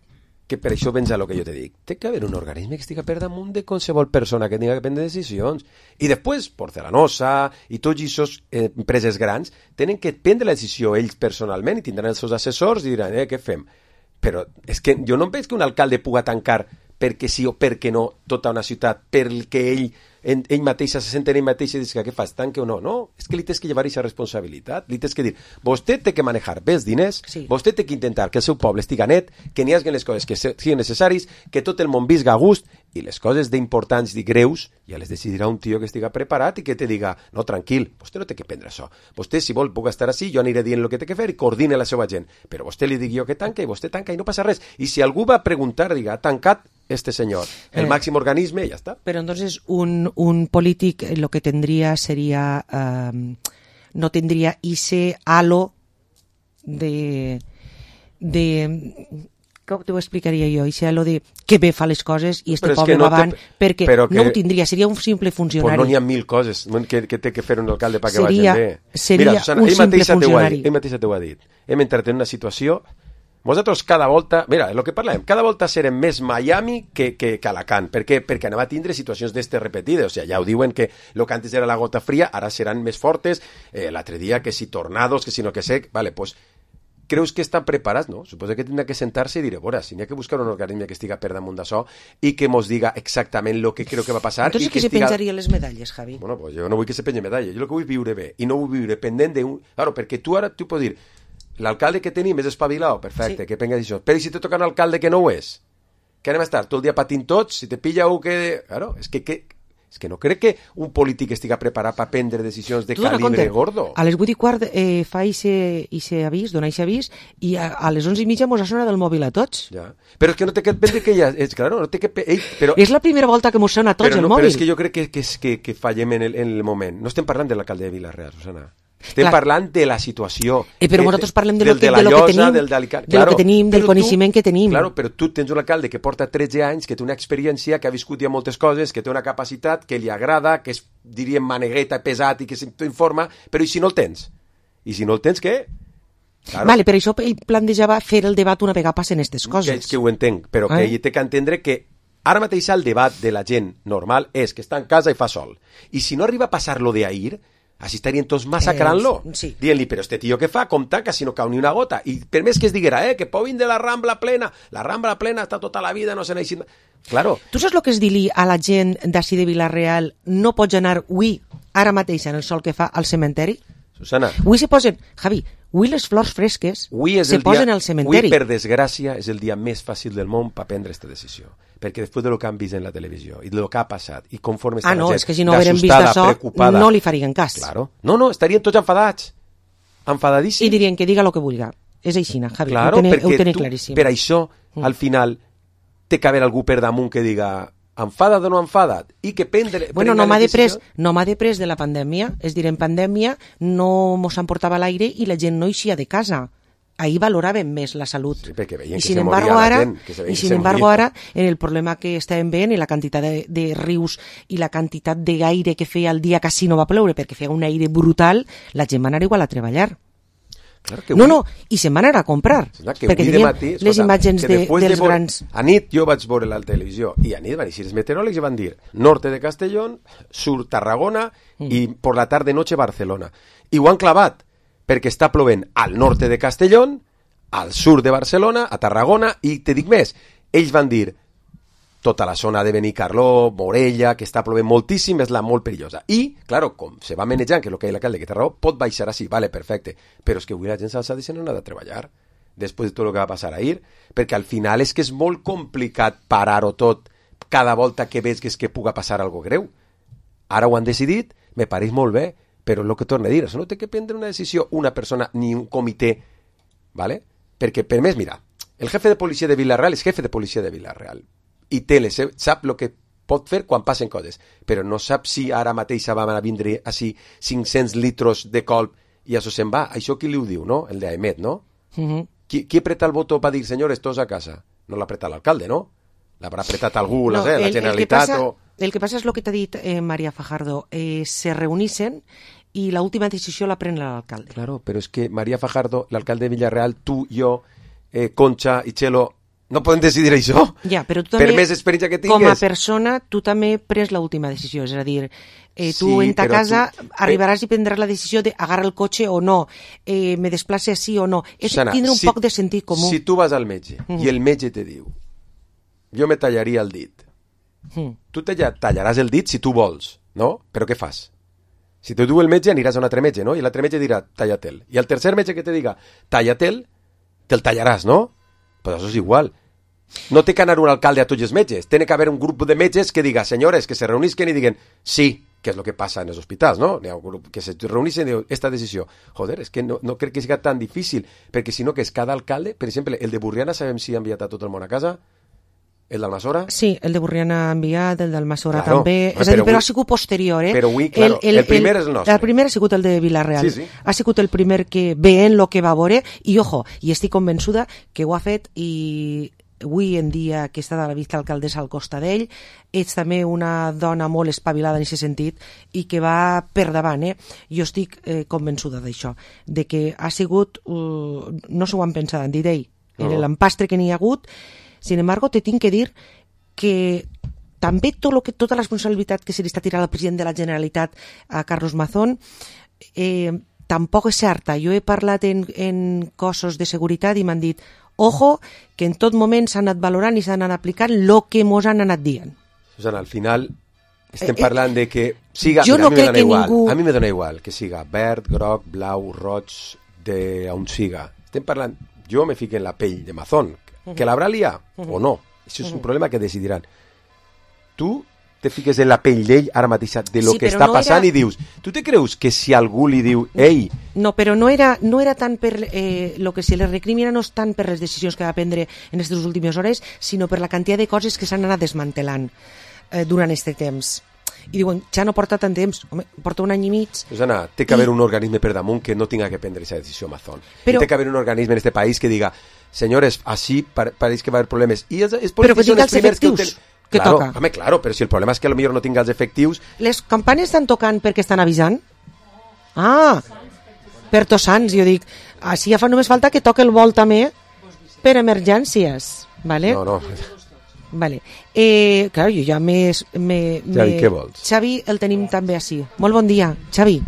S6: que per això vens a lo que jo te dic. Té que haver un organisme que estigui per damunt de qualsevol persona que tingui que prendre decisions. I després, Porcelanosa i tots aquests eh, empreses grans tenen que prendre la decisió ells personalment i tindran els seus assessors i diran, eh, què fem? Però és que jo no veig que un alcalde puga tancar perquè sí o perquè no tota una ciutat, perquè ell, ell, ell mateix se sent ell mateix i diu que què fas, tanque o no? No, és que li tens que llevar aquesta responsabilitat, li tens que dir, vostè té que manejar bé els diners, sí. Vostè té que intentar que el seu poble estiga net, que n'hi hagi les coses que siguin necessaris, que tot el món visga a gust, i les coses d'importants i greus ja les decidirà un tio que estiga preparat i que te diga, no, tranquil, vostè no té que prendre això. Vostè, si vol, puc estar així, jo aniré dient el que té que fer i coordine la seva gent. Però vostè li digui jo que tanca i vostè tanca i no passa res. I si algú va preguntar, diga, ha tancat este senyor, el eh, màxim organisme, ja està.
S4: Però entonces un, un polític lo que tendría sería, um, no tendría ese halo de... de com t'ho explicaria jo? Això lo de que bé fa les coses i este poble no va avant, te... perquè que... no ho tindria, seria un simple funcionari.
S6: Pues no n'hi ha mil coses que, que té que fer un alcalde perquè
S4: seria,
S6: vagin bé.
S4: Seria Mira, Susana, un simple funcionari.
S6: Ell mateixa t'ho ha dit. Hem entrat en una situació... Nosaltres cada volta... Mira, el que parlem, cada volta serem més Miami que, que, que Alacant. Per què? Perquè anava a tindre situacions d'estes repetides. O sigui, ja ho diuen que el que antes era la gota fria, ara seran més fortes. Eh, l'altre dia que si tornados, que si no que sé... Vale, pues... Creus que estan preparats? No? Suposo que tindrà que sentar-se i dir, veure, si n'hi ha que buscar un organisme que estiga per damunt d'això i que mos diga exactament el que creu que va passar.
S4: Entonces,
S6: i que
S4: qui
S6: estiga...
S4: se penjaria les medalles, Javi?
S6: Bueno, pues jo no vull que se pengi medalla, jo el que vull viure bé, i no vull viure pendent d'un... Claro, perquè tu ara, tu pots dir, l'alcalde que tenim és espavilat, perfecte, sí. Que penga això. Però si te toca un alcalde que no ho és? Que anem a estar tot el dia patint tots? Si te pilla un que... Claro, és que... que... És que no crec que un polític estiga preparat per prendre decisions de tu calibre gordo.
S4: A les vuit i quart eh, fa ixe avís, dona ixe avís, i a, a les onze i mitja mos ha sonat del mòbil a tots.
S6: Ja. Però és que no té que prendre que ja... És, claro, no té que... Ell, però...
S4: És la primera volta que mos sona a tots
S6: però
S4: el
S6: no,
S4: mòbil.
S6: Però és que jo crec que, que, que, que fallem en el, en el moment. No estem parlant de l'alcalde de Vila-real, Susana. Estem Clar. parlant de la situació.
S4: Eh, però
S6: eh,
S4: nosaltres parlem de,
S6: del,
S4: lo que,
S6: de, la
S4: de lo
S6: llosa,
S4: que tenim,
S6: del,
S4: del,
S6: claro,
S4: de lo que tenim, del coneixement
S6: tu,
S4: que tenim.
S6: Claro, però tu tens un alcalde que porta tretze anys, que té una experiència, que ha viscut ja moltes coses, que té una capacitat, que li agrada, que és, diríem, manegueta, pesat i que s'informa, però i si no el tens? I si no el tens, què? Claro.
S4: Vale, per això ell plantejava fer el debat una vegada passen aquestes coses.
S6: Que, que ho entenc, però eh? que ell té que entendre que ara mateix el debat de la gent normal és que està en casa i fa sol. I si no arriba a passar-lo d'ahir, així estarien tots massacrant-lo, eh, sí. Dient-li, però este tio que fa, com tanca si no cau ni una gota, i per més que es diguera, eh, que povin de la Rambla plena, la Rambla plena està tota la vida, no se n'ha eixit... Claro.
S4: Tu saps el que és dir-li a la gent d'ací de Vila-real, no pots anar avui, ara mateix, en el sol que fa, al cementeri?
S6: Susana.
S4: Avui se posen, Javi, avui les flors fresques se posen
S6: dia,
S4: al cementeri.
S6: Avui, per desgràcia, és el dia més fàcil del món per prendre aquesta decisió. Perquè després del que han vist en la televisió i del que ha passat i conforme està
S4: ah, no,
S6: la gent
S4: és que si no hagueren vist això, no li farien cas.
S6: Claro. No, no, estarien tots enfadats. Enfadadíssims.
S4: I dirien que diga el que vulgui. És així, Javi,
S6: claro,
S4: ho tenen
S6: tu,
S4: claríssim.
S6: Per això, mm. al final, té que haver algú per damunt que diga enfada't o no enfada't i que prendre...
S4: Bueno, no m'ha de pres, no m'ha de pres de la pandèmia, és dir, en pandèmia no mos emportava l'aire i la gent no eixia de casa. Ahí valoraven més la salut.
S6: Sí, perquè veien
S4: I
S6: que
S4: sin
S6: se
S4: embargo
S6: moria
S4: ara,
S6: la gent. Que se
S4: I sin embargo ara, en el problema que estàvem veient i la quantitat de, de rius i la quantitat de gaire que feia el dia quasi no va ploure perquè feia un aire brutal, la gent va anar igual a treballar.
S6: Claro que
S4: no, no, i se'n van anar a comprar.
S6: Que
S4: perquè
S6: de matí, escolta,
S4: les imatges de, dels
S6: de vor...
S4: grans...
S6: A nit jo vaig veure la televisió i a nit van dir els meteoròlegs i van dir norte de Castellón, sur Tarragona mm. i por la tarde noche Barcelona. I ho han clavat perquè està plovent al norte de Castellón, al sur de Barcelona, a Tarragona, i te dic més, ells van dir tota la zona de Benicarló, Morella, que està plovent moltíssim, és la molt perillosa. I, claro, com se va manejant, que és el que hi ha l'alcalde que té raó, pot baixar així, vale, perfecte, però és que avui la gent s'ha deixat no anar a treballar, després de tot el que va passar ahir, perquè al final és que és molt complicat parar-ho tot cada volta que veig que és que puga passar algo greu. Ara ho han decidit, me pareix molt bé, però el que torna a dir, això no té que prendre una decisió una persona ni un comitè, ¿vale? Perquè, per més, mira, el jefe de policia de Vila-real és jefe de policia de Vila-real i té les, sap el que pot fer quan passen coses, però no sap si ara mateix van a vindre així cinc-cents litros de colp i això se'n va. Això qui li ho diu, no? El d'Aemet, no? Uh-huh. Qui, qui apreta el botó per dir, senyores, tots a casa? No l'ha apretat l'alcalde, no? L'haurà apretat algú, no, la, el, la Generalitat
S4: el passa,
S6: o...
S4: El que passa és el que t'ha dit eh, María Fajardo, eh, se reunissen i l'última decisió la pren l'alcalde.
S6: Claro, però és que María Fajardo, l'alcalde de Villarreal, tu, jo, eh, Concha i Chelo, No podem decidir això?
S4: Ja, però tu també,
S6: per més experiència que tingues.
S4: Com a persona, tu també pres l'última decisió. És a dir, eh, tu
S6: Sí,
S4: en ta
S6: però
S4: casa
S6: tu-
S4: arribaràs i prendràs la decisió d'agarrar el cotxe o no, eh, me desplace sí o no. És
S6: Susana,
S4: tindre un
S6: si-
S4: poc de sentit comú.
S6: Si tu vas al metge
S4: Mm.
S6: i el metge te diu jo me tallaria el dit,
S4: Mm.
S6: tu te tallaràs el dit si tu vols, no? Però què fas? Si te diu el metge aniràs a un altre metge, no? I l'altre metge dirà talla-te'l. I el tercer metge que te diga talla-te'l, te'l tallaràs, no? Pues això és igual. No té que anar un alcalde a tots els metges. Tiene que haver un grup de metges que diga, senyores, que se reunisquen i diguen sí, que és el que passa en els hospitals, no? Hi ha un grup que se reunisquen i diuen, esta decisió. Joder, és que no, no crec que sigui tan difícil, perquè si no que és cada alcalde, per exemple, el de Burriana sabem si ha enviat a tot el món a casa, el d'Almassora...
S4: Sí, el de Burriana ha enviat, el d'Almassora
S6: Claro,
S4: també.
S6: home,
S4: És a dir,
S6: però
S4: però
S6: avui-
S4: ha sigut posterior, eh?
S6: però avui, claro, el primer és el nostre.
S4: El primer ha sigut el de Vilareal.
S6: Sí, sí.
S4: Ha sigut el primer que veient el que va veure, i ojo, i estic convençuda que ho ha fet, i avui en dia que està de la vista alcaldessa al costat d'ell, ets també una dona molt espavilada en aquest sentit i que va per davant, eh? Jo estic eh, convençuda d'això, de que ha sigut, uh, no s'ho han pensat, han dit ell, en
S6: No.
S4: l'empastre que n'hi ha hagut. Sin embargo, te tinc que dir que també tot lo que, tota la responsabilitat que se li està tirant al president de la Generalitat, a Carlos Mazón, eh, tampoc és certa. Jo he parlat en, en cossos de seguretat i m'han dit ojo, que en tot moment s'han anat valorant i s'han anat aplicant el que mos han anat dient.
S6: Susana, al final estem
S4: Eh,
S6: parlant de que siga...
S4: jo
S6: mira,
S4: no
S6: a mi me
S4: crec
S6: dona
S4: que
S6: igual,
S4: ningú-
S6: a mi me dona igual que siga verd, groc, blau, roig, de on siga. Estem parlant... Jo me fico en la pell de Mazón, que l'haurà liat o no. Això és un problema que decidiran. Tu te fiques en la pell d'ell ara mateix de lo
S4: Sí,
S6: que
S4: però
S6: està
S4: no
S6: passant
S4: era-
S6: i dius, tu te creus que si algú li diu ei,
S4: No, però no era, no era tant per... Eh, lo que se li recrimina no és tant per les decisions que va prendre en aquestes últimes hores, sinó per la quantitat de coses que s'han anat desmantelant eh, durant aquest temps. I diuen, ja no porta tant temps, home, porta un any i mig.
S6: Susana, té que haver un organisme per damunt que no tinga que prendre aquesta decisió Mazón.
S4: Però-
S6: Té que haver un organisme en este país que diga, señores, así pa pareix que va haver problemes. I els, els
S4: Però que
S6: polítics són
S4: tinga
S6: els
S4: els
S6: primers que ho
S4: efectius
S6: tenen.
S4: que
S6: claro,
S4: toca.
S6: home, claro, però si el problema és que potser no tinga els efectius,
S4: Les campanes estan tocant perquè estan avisant? Ah, per Tots Sants, jo dic, així ja fa només falta que toque el vol també per emergències, vale?
S6: no, no.
S4: Vale. Eh, clar, jo ja més... Me,
S6: Xavi,
S4: me...
S6: què vols?
S4: Xavi el tenim també així. Molt bon dia, Xavi.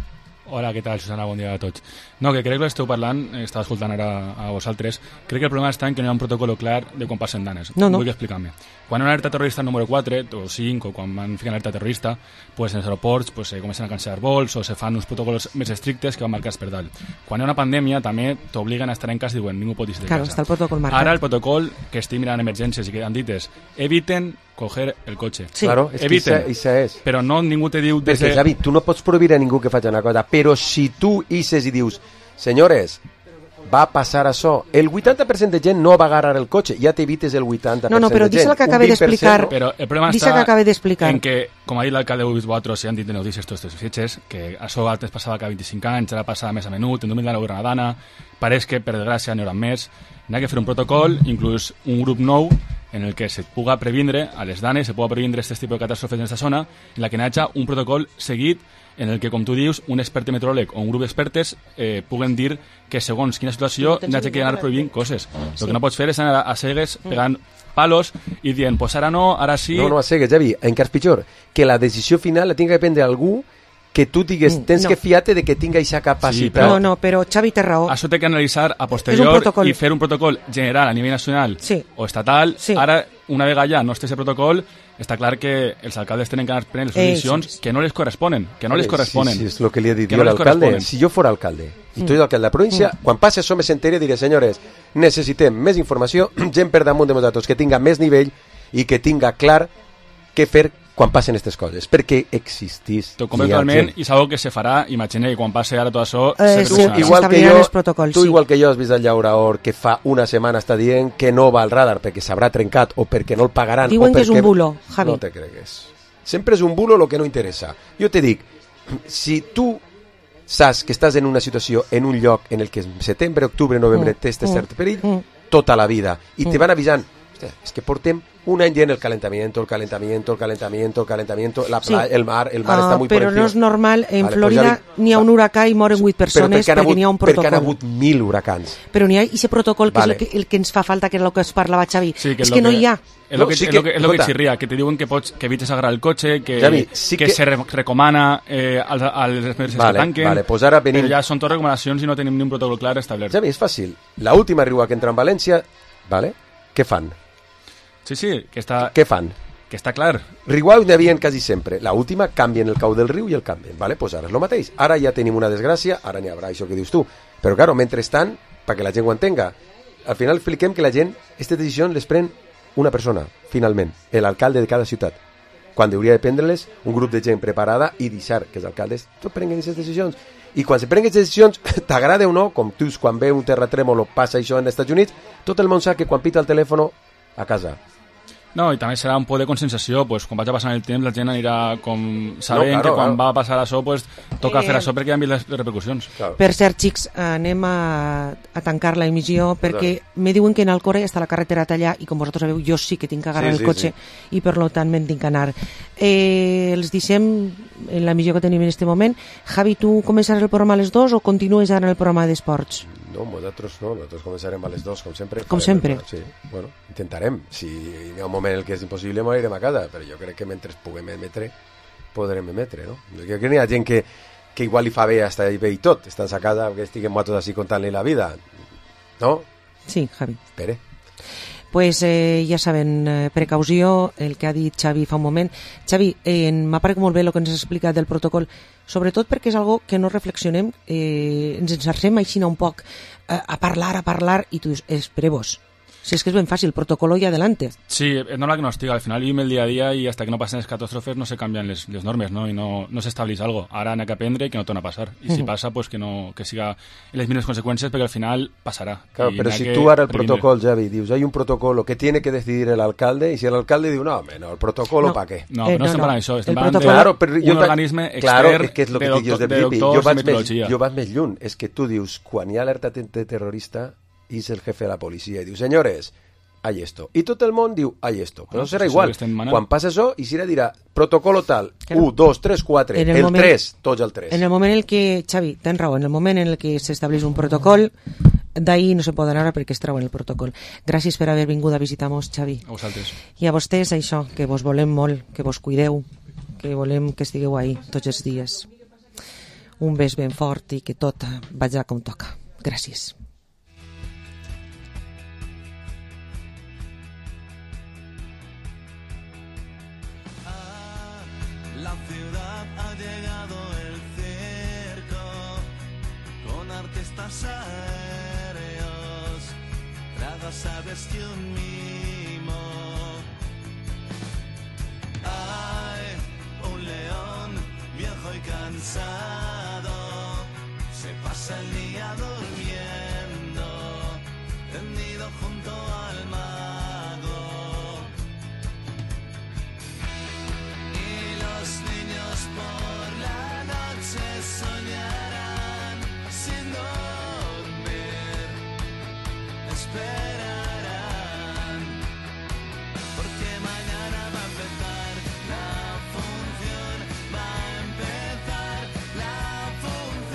S9: Hola, què tal, Susana? Bon dia a tots. No, que crec que esteu parlant, eh, estava escoltant ara a vosaltres, crec que el problema està en que no hi ha un protocol clar de quan passen danes.
S4: No, no.
S9: Vull explicar-me. Quan hi ha una alerta terrorista número quatre o cinc, o quan van ficar alerta terrorista, pues en els aeroports pues, se comencen a cancel·lar vols o se fan uns protocols més estrictes que van marcats per dalt. Quan hi ha una pandèmia també t'obliguen a estar en casa i diuen ningú pot ir de
S4: Claro,
S9: casa.
S4: està el protocol marcat.
S9: Ara el protocol que estic mirant emergències i que han dit és eviten coger el cotxe.
S4: Sí.
S6: Claro, és que
S9: Eviten.
S6: això- això és.
S9: Però no ningú te diu...
S6: Perquè, Xavi, tu no pots prohibir a ningú que faci una cosa, però si tu ixes i dius, senyores, va passar això, el vuitanta per cent de gent no va agarrar el cotxe, ja t'evites el vuitanta per cent
S4: No, no, però
S6: de gent.
S4: deixa el que
S6: Un
S4: acabe
S6: vint per cent
S4: d'explicar.
S6: no.
S9: Però el problema
S4: Deixa
S9: està
S4: que acabe d'explicar.
S9: en que, com ha dit l'alcalde de Boatros, si han dit en notícies tots aquests fitxes, que això antes passava cada vint-i-cinc anys, ara passa més a menut, en dos mil nou era una dana, pareix que per desgràcia n'hi haurà més, n'hi ha que fer un protocol, inclús un grup nou, en el que se puga previndre a les danes, se puga previndre aquest tipus de catàstrofes en aquesta zona, en la que n'hi hagi un protocol seguit en el que, com tu dius, un expert meteoròleg o un grup d'expertes eh, puguen dir que segons quina situació n'hi hagi que anar prohibint coses. El que no pots fer és anar a cegues pegant palos i dient, pues ara no, ara sí...
S6: No, no, a cegues, Xavi, encara pitjor, que la decisió final la tinga que prendre algú que tu digues,
S4: Mm,
S6: tens
S4: no.
S6: que fiar-te de que tinga aquesta capacitat.
S4: No, no, però Xavi té raó.
S9: Això té que analitzar a
S4: És un
S9: posterior
S4: protocol.
S9: i fer un protocol general a nivell nacional
S4: Sí.
S9: o estatal.
S4: Sí.
S9: Ara, una vegada ja no esté ese protocol, està clar que els alcaldes tenen que anar prenent les
S4: Eh,
S9: decisions
S4: sí.
S9: que no les corresponen, que no les
S6: Sí,
S9: corresponen.
S6: Sí, sí, és el que li he dit
S9: Que
S6: jo
S9: no
S6: a
S9: les
S6: l'alcalde.
S9: corresponen.
S6: Si jo fos alcalde i
S4: Mm.
S6: tu ets alcalde de la província, quan passi això me sentiré i diré, senyores, necessitem més informació, gent per damunt de nosaltres, que tinga més nivell i que tinga clar què fer quan passen aquestes coses, perquè existís.
S9: T'ho comento totalment i és algo que se farà, imagina que quan passi ara tot això
S4: Eh,
S9: se
S4: sí,
S9: solucionarà.
S6: igual que
S4: s'establiran
S6: jo,
S4: els protocols,
S6: tu
S4: sí.
S6: igual que jo has vist el llauraor que fa una setmana està dient que no va al radar perquè s'haurà trencat o perquè no el pagaran.
S4: Diuen
S6: o
S4: que és
S6: perquè...
S4: un bulo, Javi.
S6: No te cregues. Sempre és un bulo el que no interessa. Jo te dic, si tu saps que estàs en una situació, en un lloc en el que en setembre, octubre, novembre
S4: Mm,
S6: té este
S4: mm,
S6: cert perill,
S4: mm.
S6: tota la vida, i te
S4: Mm.
S6: van avisant, hòstia, és que portem un any dient el calentamiento, el calentamiento, el calentamiento, el calentamiento, la playa,
S4: Sí.
S6: el mar, el mar
S4: Ah,
S6: està molt per
S4: però
S6: encima.
S4: no és normal, en
S6: Vale,
S4: Florida
S6: pues ja li-
S4: n'hi ha un huracà i moren vuit persones
S6: Però
S4: perquè n'hi ha un
S6: Perquè han
S4: protocol.
S6: hagut mil huracans.
S4: Però n'hi ha aquest protocol que
S6: Vale.
S4: és el que, el que ens fa falta, que és el que es parlava Xavi.
S9: Sí,
S4: és
S9: es
S4: que
S9: lo
S4: no hi ha.
S9: Es lo
S6: No,
S9: que,
S6: sí
S9: es
S6: que-
S9: lo que, es lo que
S6: escolta.
S9: chirría, que te diuen que pots, que evites agarrar el cotxe, que,
S6: Javi, sí
S9: que,
S6: que-
S9: se re, recomana eh, als, als emergències
S6: Vale,
S9: que tanquen,
S6: vale, pues ara venim-
S9: però ja són totes recomanacions i no tenim ni un protocol clar establert.
S6: Javi, és fàcil. La última riua que entra en València, vale? Què fan?
S9: Sí, sí, que està,
S6: Què fan?
S9: que està clar.
S6: Riuau n'hi havia quasi sempre. La última canvien el cau del riu i el canvien. Vale? Pues ara és el mateix. Ara ja tenim una desgràcia, ara n'hi haurà això que dius tu. Però, claro, mentrestant, perquè la gent ho entenga, al final expliquem que la gent, aquestes decisions les pren una persona, finalment, l'alcalde de cada ciutat. Quan hauria de prendre-les un grup de gent preparada i deixar que els alcaldes tot prenguen aquestes decisions. I quan se prenguen aquestes decisions, t'agrada o no, com tu quan ve un terratrèmol o passa això als Estats Units, tot el món sap que quan pita el telèfon a casa.
S9: No, i també serà un poc de consensació, pues, quan vaig passant el temps la gent anirà com sabent
S6: No, claro,
S9: que quan
S6: claro.
S9: va passar això pues, toca
S4: Eh,
S9: fer això perquè ja han vist les, les repercussions.
S6: Claro.
S4: Per cert, xics, anem a, a tancar la emissió perquè me diuen que en Alcora està la carretera tallada i com vosaltres sabeu jo sí que tinc que agarrar
S6: Sí,
S4: el
S6: sí,
S4: cotxe i per lo tant me'n tinc que anar. Eh, els deixem en la missió que tenim en aquest moment. Javi, tu començaràs el programa a les dues o continues ara en el programa d'esports?
S6: No, nosaltres no, nosaltres començarem a les dos, com sempre.
S4: Com
S6: Farem
S4: sempre.
S6: el- Sí, bueno, intentarem. Si hi ha un moment en què és impossible, m'anirem a casa, però jo crec que mentre puguem emetre, podrem emetre, no? Jo crec que n'hi ha gent que, que igual li fa bé hasta bé i tot, estan a casa, que estiguem nosaltres així contant-li la vida, no?
S4: Sí, Javi.
S6: Espere.
S4: Pues eh, ja saben, eh, precaució, el que ha dit Xavi fa un moment. Xavi, eh, m'ha paregut molt bé el que ens has explicat del protocol, sobretot perquè és algo que no reflexionem, eh, ens ensarcem així un poc eh, a parlar, a parlar, i tu dius, espereu-vos. Si és que és ben fàcil, protocolo i adelante.
S9: Sí, es normal que no estiga. Al final vivim el día a día y hasta que no pasen les catàstrofes no se canvian les, les normes, ¿no? Y no, no s'estableix algo. Ara n'ha que aprendre i que no torna a passar. I si
S4: Ujú.
S9: passa, pues que no que siga en les mínimes conseqüències, perquè al final passarà.
S6: Claro,
S9: I
S6: pero
S9: n'ha
S6: si
S9: que
S6: tú ahora el
S9: previndre.
S6: protocolo, Javi, dius, hay un protocolo que tiene que decidir el alcalde, y si el alcalde dice, no, hombre, no, el protocolo,
S4: No.
S6: ¿para qué?
S9: No,
S4: Eh,
S9: no,
S4: no,
S9: estem
S4: no.
S9: parlant d'això, estem
S4: El
S9: parlant de
S4: protocolo-
S6: Claro, però jo
S9: un
S6: ta-
S9: organisme
S6: claro,
S9: extern
S6: és que és lo que
S9: de,
S6: te dius
S9: doctor,
S6: de
S9: de
S6: principi.
S9: doctors
S6: Jo
S9: i
S6: vaig, més,
S9: metodologia.
S6: jo vaig més lluny. És que tu dius, quan hi ha alerta de terrorista, és el jefe de la policia i diu, senyores, hay esto. I tot el món diu, hay esto. Però
S9: Bueno,
S6: no serà
S9: pues això
S6: igual.
S9: que estem manant.
S6: Quan passa això, i si dirà, protocolo tal,
S4: Claro.
S6: un, dos, tres, quatre,
S4: En
S6: el,
S4: el moment-
S6: tres, tots el tres.
S4: En el moment en el que, Xavi, tens raó, en el moment en el que s'estableix un protocol, d'ahir no se poden anar perquè es treuen el protocol. Gràcies per haver vingut a visitar-nos, Xavi.
S9: A vosaltres.
S4: I a vostès, això, que vos volem molt, que vos cuideu, que volem que estigueu ahí tots els dies. Un bes ben fort i que tot vagi com toca. Gràcies.
S10: La ciudad ha llegado el circo con artistas aéreos, gradas, aves y un mimo. Hay un león viejo y cansado, se pasa el día durmiendo, tendido junto al mago. Y los niños por la noche soñarán sin dormir, esperan.